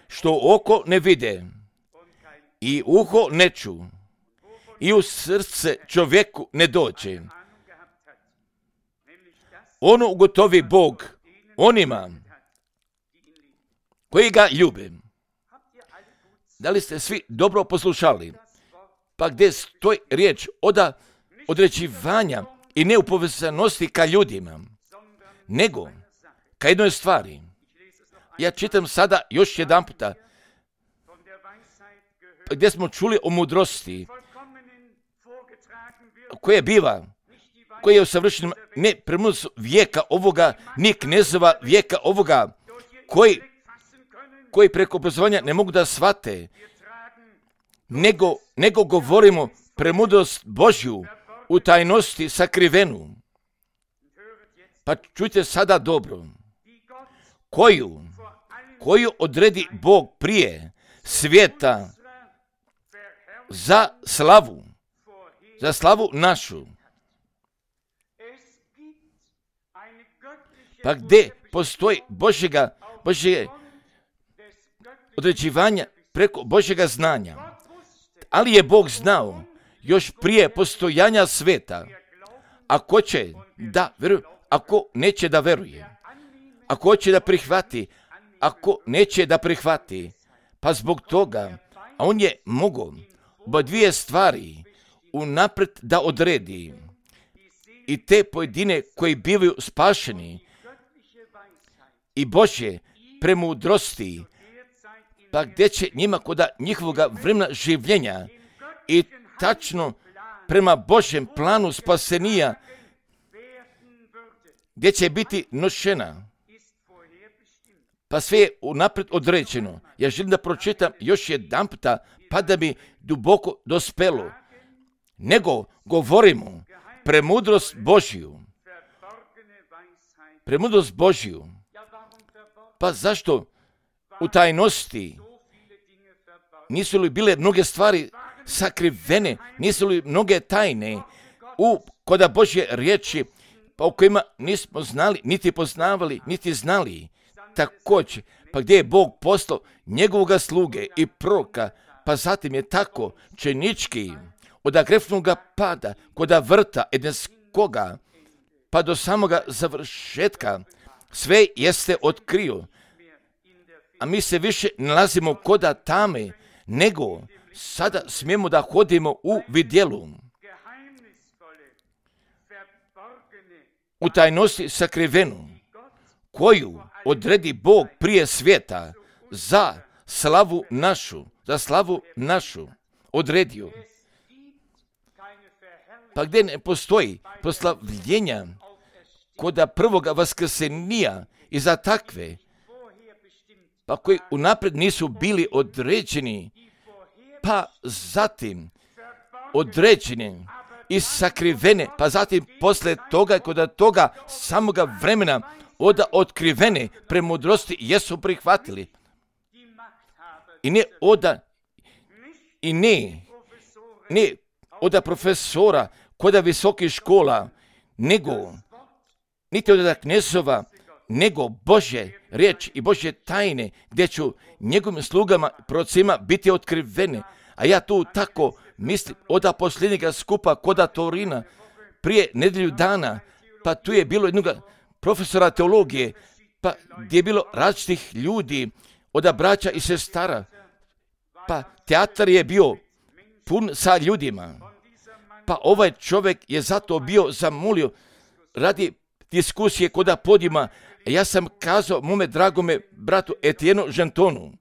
što oko ne vide i uho ne ču i u srce čovjeku ne dođe. Ono ugotovi Bog onima koji ga ljube. Da li ste svi dobro poslušali? Pa gdje stoji riječ od određivanja i neupovezanosti ka ljudima, nego ka jednoj stvari. Ja čitam sada još jedan puta, gdje smo čuli o mudrosti, koja biva, koja je usavršena ne premudrost vijeka ovoga, ni knezova vijeka ovoga, koji preko obrazovanja ne mogu da shvate, nego govorimo premudrost Božju u tajnosti sakrivenu. Pa čujte sada dobro, koju odredi Bog prije svijeta za slavu našu. Pa gdje postoji Božjega određivanja preko Božjega znanja. Ali je Bog znao još prije postojanja sveta, ako će da veruje, ako neće da veruje, ako hoće da prihvati, ako neće da prihvati. Pa zbog toga, a on je mogao oba dvije stvari unaprijed da odredi. I te pojedine koji bivaju spašeni i Božje premudrosti, pa gdje će njima kod njihovog vremena življenja i tačno prema Božjem planu spasenija, gdje će biti nošena. Pa sve je unaprijed određeno. Ja želim da pročitam još jedan puta, pa da mi duboko dospelo. Nego govorimo premudrost Božju. Premudrost Božju. Pa zašto u tajnosti nisu li bile mnoge stvari sakrivene, nisu li mnoge tajne kod Božje riječi, pa o kojima nismo znali, niti poznavali, niti znali. Također, pa gdje je Bog poslao njegovoga sluge i proroka, pa zatim je tako čenički od grefnoga pada kod vrta edenskoga, pa do samoga završetka sve jeste otkrio. A mi se više nalazimo kod tame, nego sada smijemo da hodimo u vidjelu. U tajnosti sakrivenu, koju odredi Bog prije svijeta za slavu našu, odredio. Pa gdje ne postoji proslavljenja kod prvoga vaskrsenija i za takve, pa koji unaprijed nisu bili određeni, pa zatim određeni i sakrivene, pa zatim posle toga kod toga samoga vremena od otkrivene premudrosti jesu prihvatili. I ne od profesora kod visokih škola, nego niti od knezova, nego Božje riječ i Božje tajne, gdje ću njegovim slugama, prorocima biti otkrivene. A ja tu tako mislim od posljednjega skupa kod Torina prije nedjelju dana, pa tu je bilo jednog profesora teologije, pa gdje je bilo različitih ljudi od braća i sestara, pa teatar je bio pun sa ljudima, pa ovaj čovjek je zato bio zamolio radi diskusije kod podijuma. Ja sam kazao mome dragome bratu Etienu Žentonu,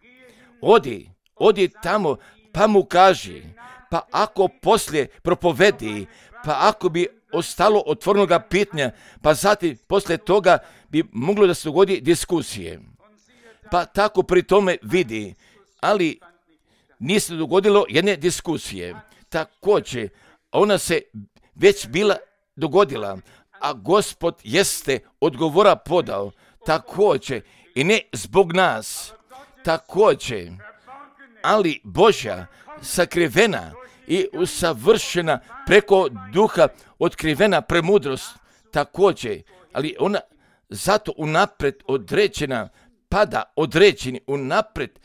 odi tamo, pa mu kaži, pa ako poslije propovedi, pa ako bi ostalo otvorenoga pitanja, pa zatim poslije toga bi moglo da se dogodi diskusije. Pa tako pri tome vidi, ali nije se dogodilo jedne diskusije. Također, ona se već bila dogodila, a Gospod jeste odgovora podao, također, i ne zbog nas, također, ali Božja sakrivena i usavršena preko duha otkrivena premudrost, također, ali ona zato unaprijed određena, pada određeni unaprijed,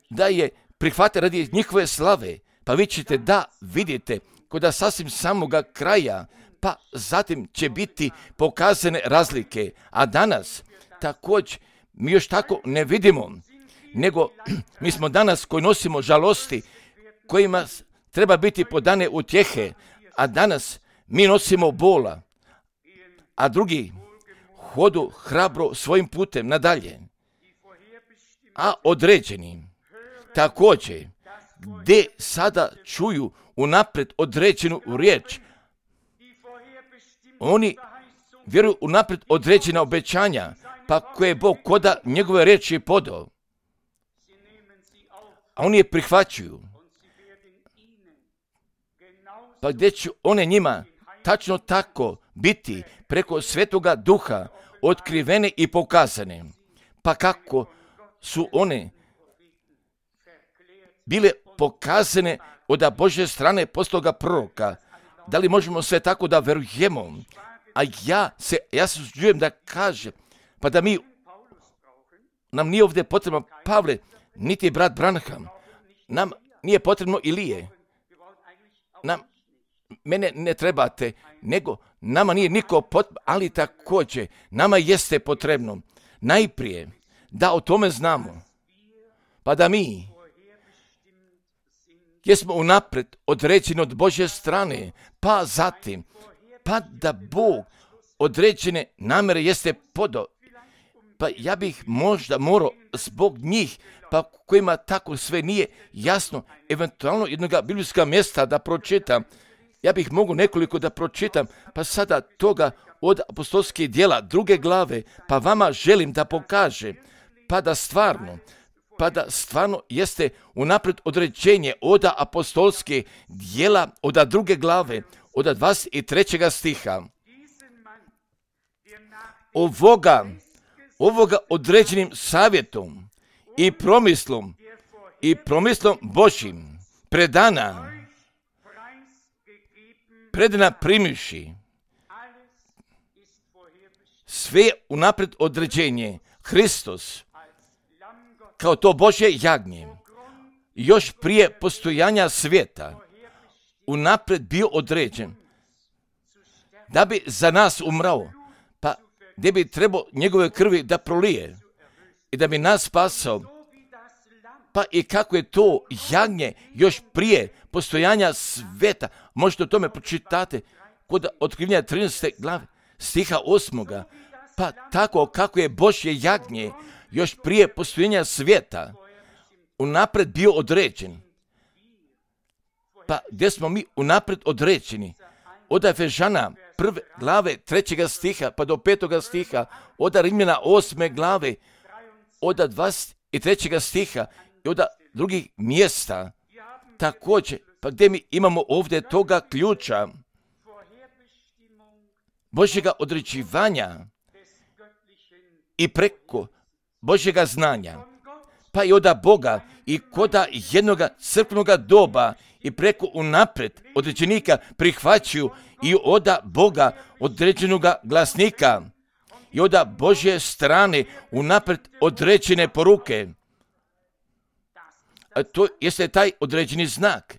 da je prihvate radi njihove slave. Pa vi ćete da vidite kod sasvim samoga kraja, pa zatim će biti pokazane razlike. A danas također mi još tako ne vidimo, nego mi smo danas koji nosimo žalosti, kojima treba biti podane utjehe, a danas mi nosimo bola, a drugi hodu hrabro svojim putem nadalje. A određeni također, gdje sada čuju unaprijed određenu riječ, oni vjeruju unaprijed određena obećanja, pa koje je Bog koda njegove riječi podao. A oni je prihvaćuju. Pa gdje će one njima tačno tako biti preko Svetoga Duha otkrivene i pokazane. Pa kako su one bile pokazane od Božje strane postoga proroka. Da li možemo sve tako da verujemo? A ja se usuđujem da kažem, pa da nam nije ovdje potrebno Pavle, niti brat Branham. Nam nije potrebno Ilije. Mene ne trebate, nego nama nije niko potrebno, ali također nama jeste potrebno najprije da o tome znamo, pa da mi jesmo unaprijed određeni od Božje strane, pa zatim, pa da Bog određene namjere jeste podao. Pa ja bih možda morao zbog njih, pa kojima tako sve nije jasno, eventualno jednoga biblijska mjesta da pročitam. Ja bih mogu nekoliko da pročitam, pa sada toga od apostolskih djela 2. glave, pa vama želim da pokaže, pa da stvarno jeste unaprijed određenje od apostolskih djela od 2. glave, od 23. stiha. Ovoga određenim savjetom i promislom Božjim predana primivši sve unaprijed određenje Hristos kao to Božje jagnje još prije postojanja svijeta unaprijed bio određen da bi za nas umrao, pa gdje bi trebao njegove krvi da prolije i da bi nas spasao. Pa i kako je to jagnje još prije postojanja sveta, možete o tome pročitate kod Otkrivenja 13. glave stiha 8. Pa tako kako je Božje jagnje još prije postojanja svijeta unaprijed bio određen. Pa gdje smo mi unaprijed određeni? Od Efežana 1. glave 3. stiha pa do 5. stiha, od Rimljana 8. glave, od 23. stiha i od drugih mjesta. Također, pa gdje mi imamo ovdje toga ključa Božjega određivanja i preko Božjega znanja, pa i od Boga i koda jednoga crkvenoga doba i preko unaprijed određenika prihvaćaju i od Boga određenoga glasnika i od Božje strane unaprijed određene poruke. A to jeste taj određeni znak.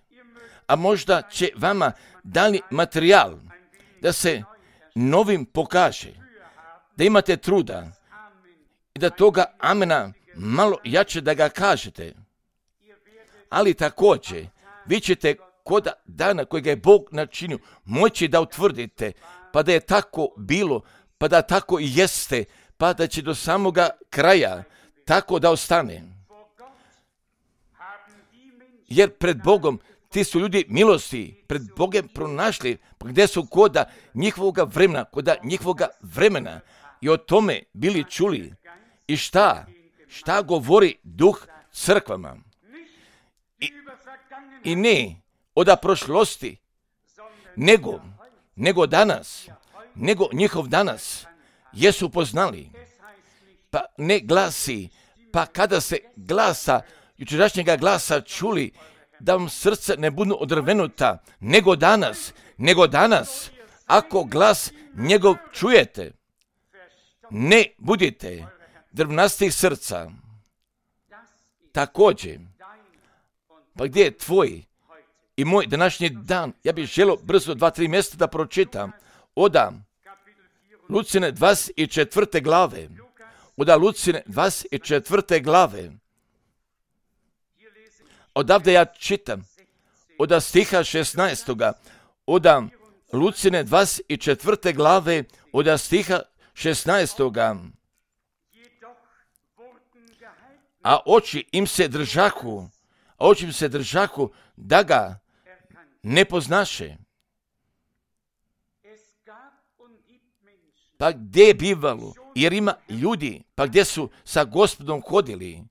A možda će vama dani materijal da se novim pokaže, da imate truda i da toga amena malo jače da ga kažete. Ali također, vi ćete kod dana kojega je Bog načinio moći da utvrdite, pa da je tako bilo, pa da tako i jeste, pa da će do samoga kraja tako da ostane. Jer pred Bogom ti su ljudi milosti, pred Bogom pronašli, pa gdje su koda njihovoga vremena i o tome bili čuli. I šta govori Duh crkvama? I ne od prošlosti, nego danas, nego njihov danas jesu poznali. Pa ne glasi, pa kada se glasa, jučerašnjega glasa čuli, da vam srce ne budu odrvenuta, nego danas, ako glas njegov čujete, ne budite drvnastih srca. Također, pa gdje je tvoj i moj današnji dan? Ja bih želio brzo 2-3 mjesta da pročitam. Od Lucine 24. glave, od Lucine 24. glave. Odavde ja čitam od stiha 16. od Lucine 24. glave od stiha 16. A oči im se držahu da ga ne poznaše. Pa gdje je bivalo? Jer ima ljudi, pa gdje su sa Gospodom hodili,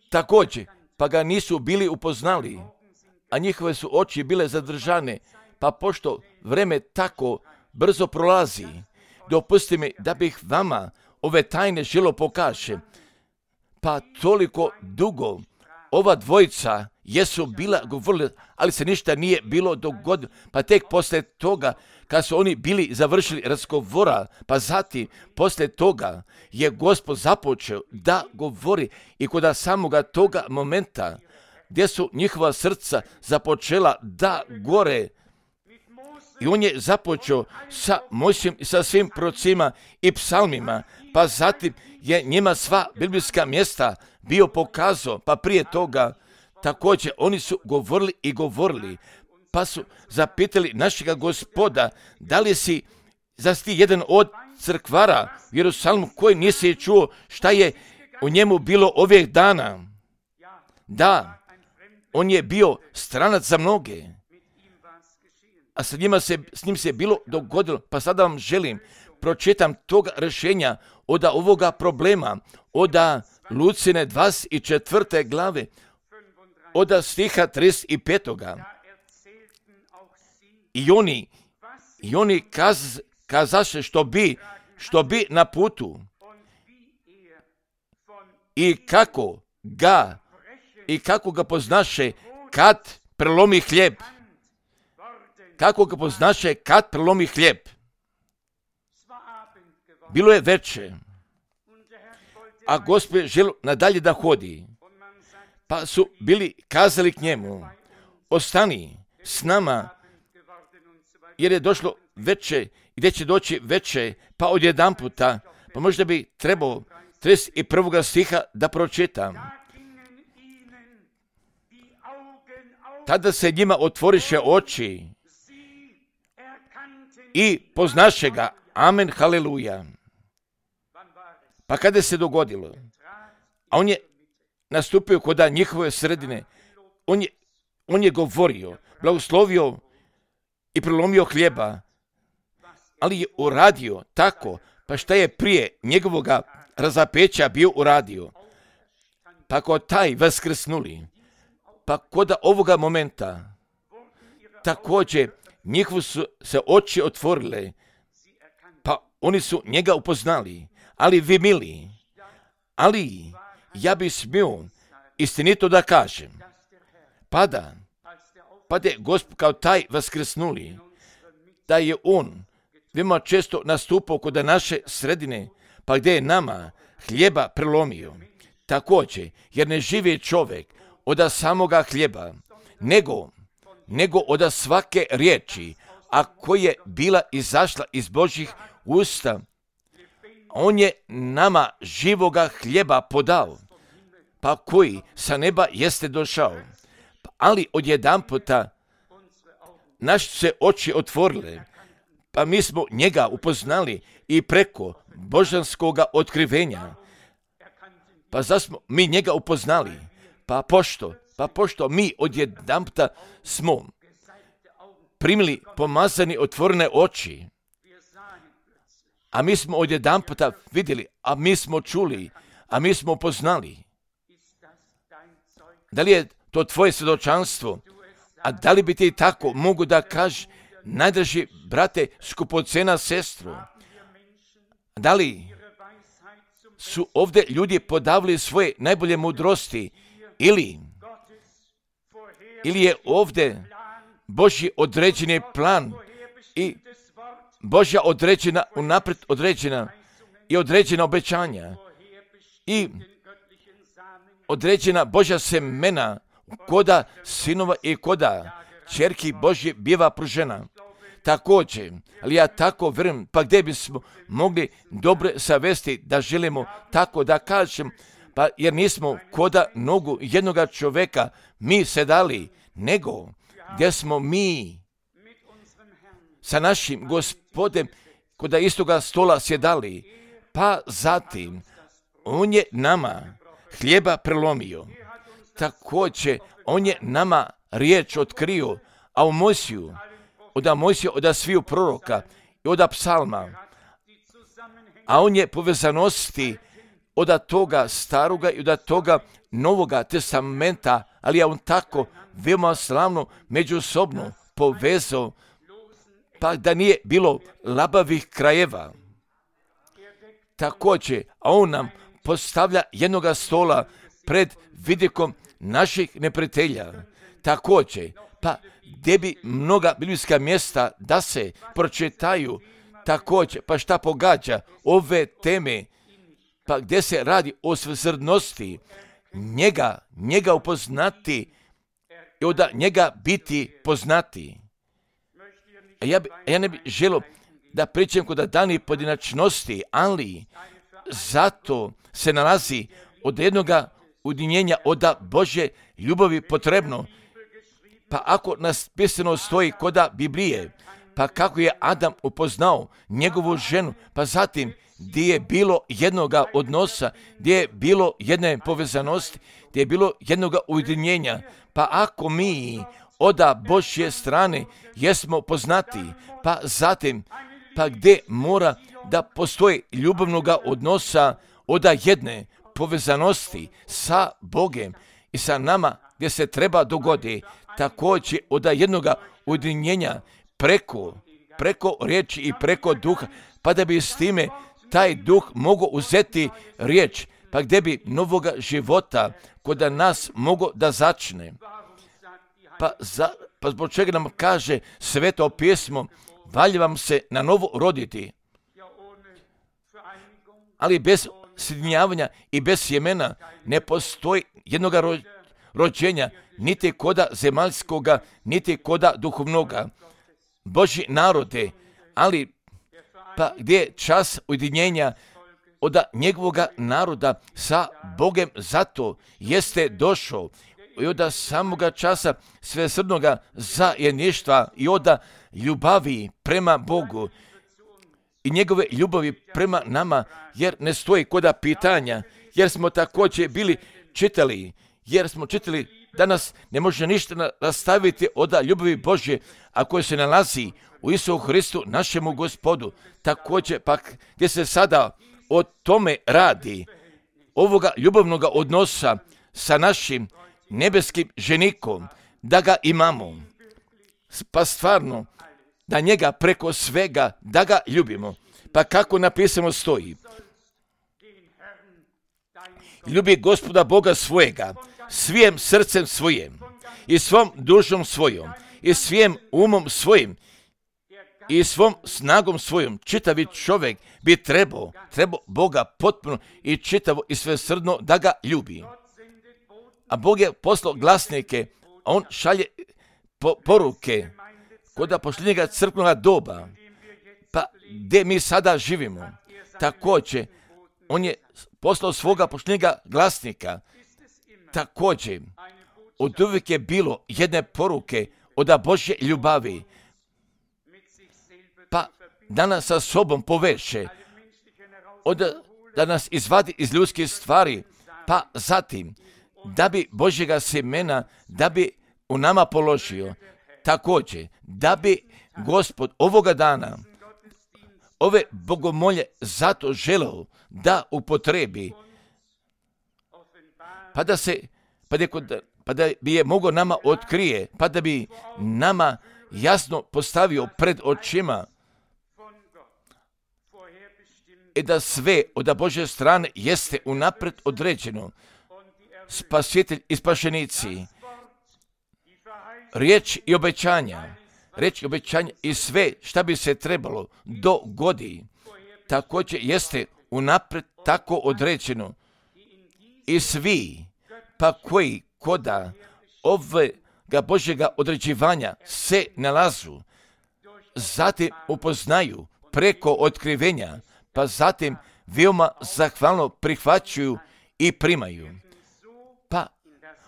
također, pa ga nisu bili upoznali, a njihove su oči bile zadržane, pa pošto vreme tako brzo prolazi, dopusti mi da bih vama ove tajne želo pokaže. Pa toliko dugo ova dvojica jesu bila govorili, ali se ništa nije bilo dogodilo. Pa tek poslije toga, kad su oni bili završili razgovora, pa zatim poslije toga je Gospod započeo da govori i kod samoga toga momenta gdje su njihova srca započela da gore. I on je započeo sa Mojsijem i sa svim prorocima i psalmima, pa zatim je njima sva biblijska mjesta bio pokazao, pa prije toga također oni su govorili, pa su zapitali našega Gospoda, da li si ti jedan od crkvara u Jerusalimu koji nisi čuo šta je u njemu bilo ovih dana? Da, on je bio stranac za mnoge, a s njim se bilo dogodilo. Pa sada vam želim pročitam toga rješenja od ovoga problema, od Lucine 24. glave, od stiha 35. I oni kazaše što bi na putu i kako ga poznaše kad prelomi hljeb. Kako ga poznaše kad prelomi hljeb. Bilo je veče, a Gospod želio nadalje da hodi. Pa su bili kazali k njemu, ostani s nama, jer je došlo veče, gdje će doći veče, pa odjedanputa, pa možda bi trebao 31. stiha da pročitam. Tada se njima otvoriše oči i poznaše ga. Amen, haleluja. Pa kada se dogodilo? A on je nastupio kod njihove sredine. On je govorio, blagoslovio i prelomio hljeba, ali je uradio tako, pa šta je prije njegovoga razapeća bio uradio. Pa kod taj vaskrsnuli, pa kod ovoga momenta, također njihovo su se oči otvorile, pa oni su njega upoznali. Ali vi mili, ja bi smio istinito da kažem, pa je Gospod kao taj vaskrsnuli, da je on veoma često nastupao kod naše sredine, pa gdje je nama hljeba prelomio. Također, jer ne živi čovjek od samoga hljeba, nego od svake riječi, a koja je bila izašla iz Božjih usta. On je nama živoga hljeba podao, pa koji sa neba jeste došao. Ali odjedanputa naše se oči otvorile, pa mi smo njega upoznali i preko božanskoga otkrivenja. Pa zar smo mi njega upoznali? Pa pošto mi odjedanputa smo primili pomazani otvorene oči, a mi smo odjedanputa vidjeli, a mi smo čuli, a mi smo upoznali. Da li je to tvoje svjedočanstvo? A da li bi ti tako mogu da kažeš, najdraži brate, skupocena sestro? Da li su ovdje ljudi podavili svoje najbolje mudrosti ili je ovdje Božji određeni plan i Božja određena, unaprijed određena i određena obećanja i određena Božja semena koda sinova i koda čerki Božje biva pružena. također, ali ja tako vjerujem, pa gdje bismo mogli dobre savesti da želimo tako da kažem, pa jer nismo koda nogu jednoga čovjeka mi sedali, nego gdje smo mi sa našim Gospodem koda istoga stola sjedali, pa zatim on je nama hljeba prelomio. Također, on je nama riječ otkrio, a u Mojsiju, od sviju proroka i od psalma, a on je povezanosti od toga staroga i od toga novoga testamenta, ali je on tako veoma slavno međusobno povezao, pa da nije bilo labavih krajeva. Također, a on nam postavlja jednoga stola pred vidikom naših neprijatelja. Također, pa gdje bi mnoga biblijska mjesta da se pročitaju, također, pa šta pogađa ove teme, pa gdje se radi o svesrdnosti, njega upoznati i od njega biti poznati. Ja ne bih želio da pričam kod danih pojedinačnosti, ali zato se nalazi od jednoga ujedinjenja od Božje ljubavi potrebno. Pa ako nas pisano stoji koda Biblije, pa kako je Adam upoznao njegovu ženu, pa zatim gdje je bilo jednoga odnosa, gdje je bilo jedne povezanosti, gdje je bilo jednoga ujedinjenja, pa ako mi od Božje strane jesmo poznati, pa zatim, pa gdje mora da postoji ljubavnoga odnosa od jedne povezanosti sa Bogem i sa nama, gdje se treba dogodi, također od jednoga ujedinjenja preko riječi i preko duha, pa da bi s time taj duh mogao uzeti riječ, pa gdje bi novoga života kod nas mogao da začne. Pa zbog čega nam kaže Sveto pismo, valja vam se na novo roditi. Ali bez sjedinjavanja i bez sjemena ne postoji jednoga rođenja, niti koda zemaljskoga, niti koda duhovnoga. Božji narode, ali pa gdje je čas ujedinjenja od njegovoga naroda sa Bogem, zato jeste došao i od samoga časa svesrdnoga zajedništva i od ljubavi prema Bogu i njegove ljubavi prema nama, jer ne stoji koda pitanja, jer smo također bili čitali, da nas ne može ništa nastaviti od ljubavi Božje, a koje se nalazi u Isusu Hristu, našemu Gospodu. Također, pak, gdje se sada o tome radi, ovoga ljubavnoga odnosa sa našim nebeskim ženikom, da ga imamo, pa stvarno, da njega preko svega, da ga ljubimo. Pa kako napisano stoji, ljubi Gospoda Boga svojega, svijim srcem svojim, i svom dušom svojom, i svijim umom svojim, i svom snagom svojom. Čitavi čovjek bi trebao Boga potpuno i čitavo i svesrdno da ga ljubi. A Bog je poslao glasnike, a on šalje poruke kod posljednjega crkvenoga doba, pa gdje mi sada živimo. Također, on je poslao svoga posljednjega glasnika. Također, od uvijek je bilo jedne poruke od Božje ljubavi, pa da nas sa sobom poveže, da nas izvadi iz ljudskih stvari, pa zatim, da bi Božjega semena, da bi u nama položio, također, da bi Gospod ovoga dana ove bogomolje zato želeo da upotrebi, pa da bi je mogao nama otkrije, pa da bi nama jasno postavio pred očima i da sve od Božje strane jeste unaprijed određeno. Spasitelj i spašenici, riječ i obećanja i sve šta bi se trebalo dogodi, također jeste unaprijed tako određeno. I svi, pa koji koda ovega Božjega određivanja se nalazu zatim upoznaju preko otkrivenja, pa zatim veoma zahvalno prihvaćaju i primaju. Pa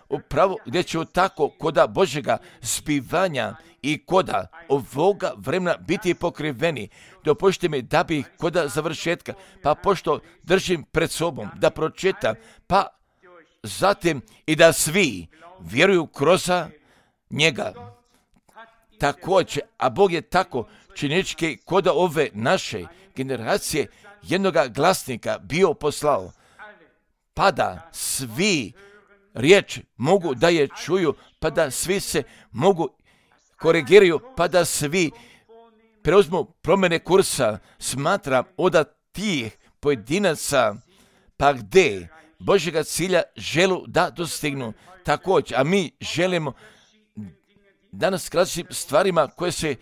upravo gdje će tako koda Božjega zbivanja i koda ovoga vremena biti pokriveni, dopustite mi da bi koda završetka, pa pošto držim pred sobom da pročitam, pa zatim i da svi vjeruju kroz njega. Također, a Bog je tako činički koda ove naše generacije jednoga glasnika bio poslao, pa da svi riječ mogu da je čuju, pa da svi se mogu korigiraju, pa da svi preuzmu promjene kursa. Smatram od tih pojedinaca, pa gdje Božjega cilja želu da dostignu. Također, a mi želimo danas različitim stvarima koje se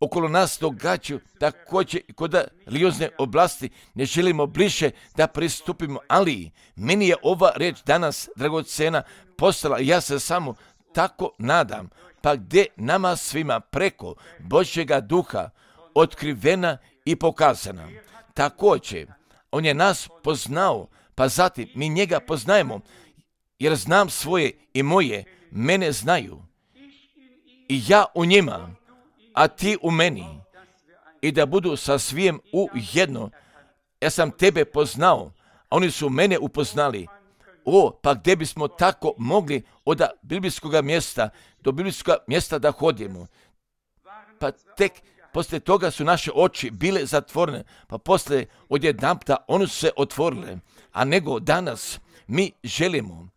okolo nas događaju, također i kod religiozne oblasti ne želimo bliže da pristupimo, ali meni je ova riječ danas dragocena postala, ja se samo tako nadam, pa gdje nama svima preko Božjega duha otkrivena i pokazana. Također, on je nas poznao, pa zatim mi njega poznajemo, jer znam svoje i moje, mene znaju. I ja u njima, a ti u meni, i da budu sa svijem u jedno. Ja sam tebe poznao, a oni su mene upoznali. Pa gdje bismo tako mogli od biblijskog mjesta do biblijskog mjesta da hodimo? Pa tek poslije toga su naše oči bile zatvorene, pa poslije odjedanputa one su se otvorile. A nego danas mi želimo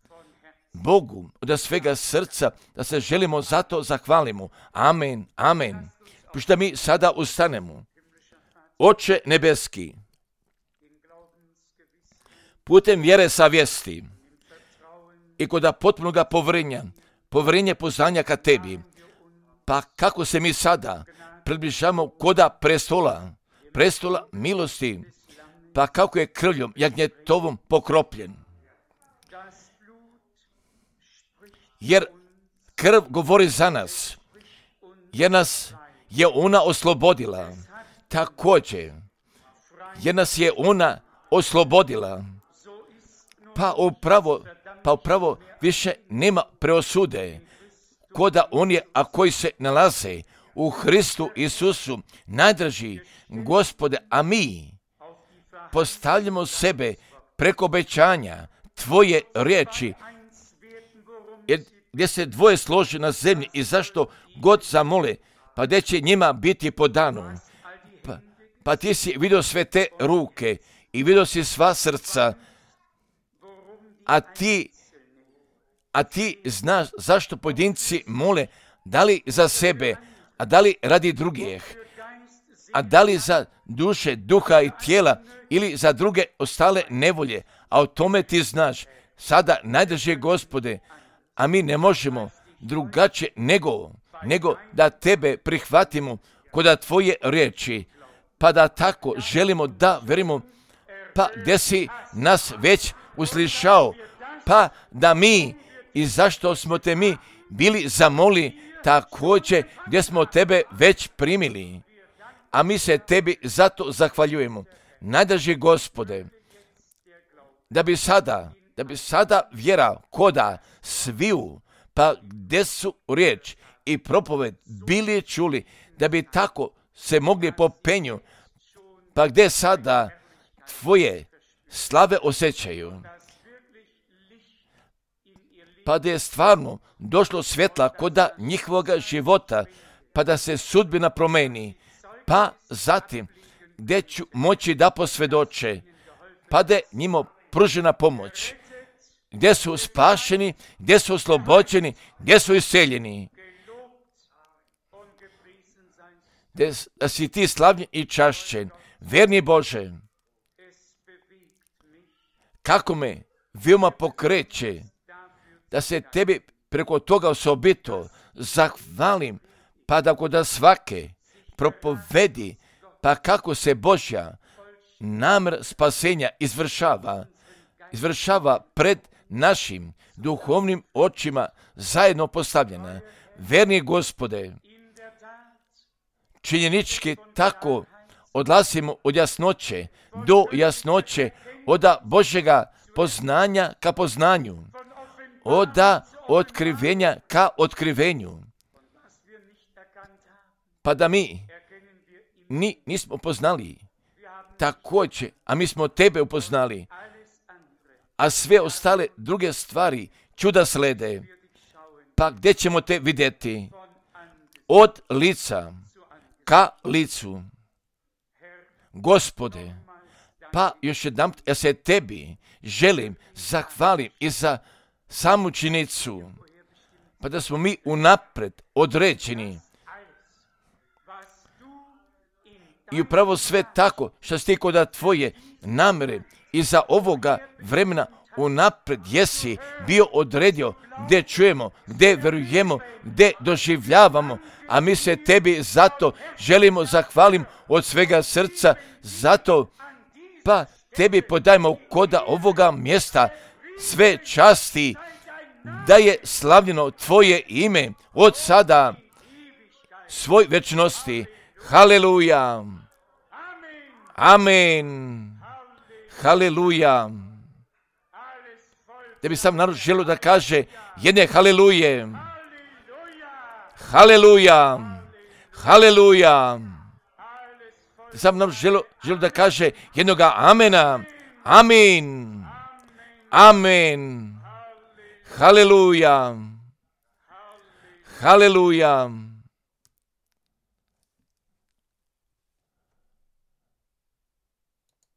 Bogu od svega srca da se želimo zato zahvalimo. Amen, amen. Pošto mi sada ustanemo. Oče nebeski, putem vjere savjesti i kod potpunoga povjerenja poznanja ka tebi, pa kako se mi sada približamo koda prestola milosti, pa kako je krvljom jagnjetovom pokropljen. Jer krv govori za nas, jer nas je ona oslobodila. Također, jer nas je ona oslobodila. Pa upravo više nema preosude koda oni, a koji se nalaze u Hristu Isusu, najdraži Gospode, a mi postavljamo sebe preko obećanja Tvoje riječi, jer gdje se dvoje složi na zemlji i zašto god zamole, pa gdje će njima biti podano. Pa ti si vidio sve te ruke i vidio si sva srca, a ti znaš zašto pojedinci mole, da li za sebe, a da li radi drugih, a da li za duše, duha i tijela ili za druge ostale nevolje, a o tome ti znaš. Sada, najdrže Gospode, a mi ne možemo drugačije nego da tebe prihvatimo kod tvoje riječi, pa da tako želimo da verimo, pa gdje si nas već uslišao, pa da mi i zašto smo te mi bili zamoli, također gdje smo tebe već primili, a mi se tebi zato zahvaljujemo. Najdraži Gospode, da bi sada vjera koda sviju, pa gdje su riječ i propoved bili čuli, da bi tako se mogli po penju, pa gdje sada tvoje slave osjećaju, pa da je stvarno došlo svjetla koda njihovoga života, pa da se sudbina promeni, pa zatim gdje ću moći da posvjedoče, pa da je njima pružena pomoć, gdje su spašeni, gdje su oslobođeni, gdje su iseljeni. Da si ti slavljen i čašćen, verni Bože, kako me veoma pokreće da se tebi preko toga osobito zahvalim, pa da kod svake propovedi, pa kako se Božja namjer spasenja izvršava pred našim duhovnim očima zajedno postavljena. Verni Gospode, činjenički tako odlazimo od jasnoće do jasnoće, od Božjega poznanja ka poznanju, od otkrivenja ka otkrivenju. Pa da mi nismo poznali također, a mi smo tebe upoznali, a sve ostale druge stvari čuda slede. Pa gdje ćemo te vidjeti? Od lica ka licu. Gospode, pa još jednom ja se tebi želim zahvalim i za samu činjenicu, pa da smo mi unaprijed određeni i upravo sve tako što si ti kod tvoje namere iza ovoga vremena unaprijed jesi bio odredio gdje čujemo, gdje verujemo, gdje doživljavamo, a mi se tebi zato želimo zahvalim od svega srca, zato pa tebi podajmo koda ovoga mjesta sve časti, da je slavljeno tvoje ime od sada svoj večnosti. Haleluja. Amen. Haleluja. Da bi sam narod želio da kaže jedne haleluje. Haleluja. Haleluja. Da sam narod želio da kaže jednoga amena. Amin. Amen. Haleluja. Haleluja.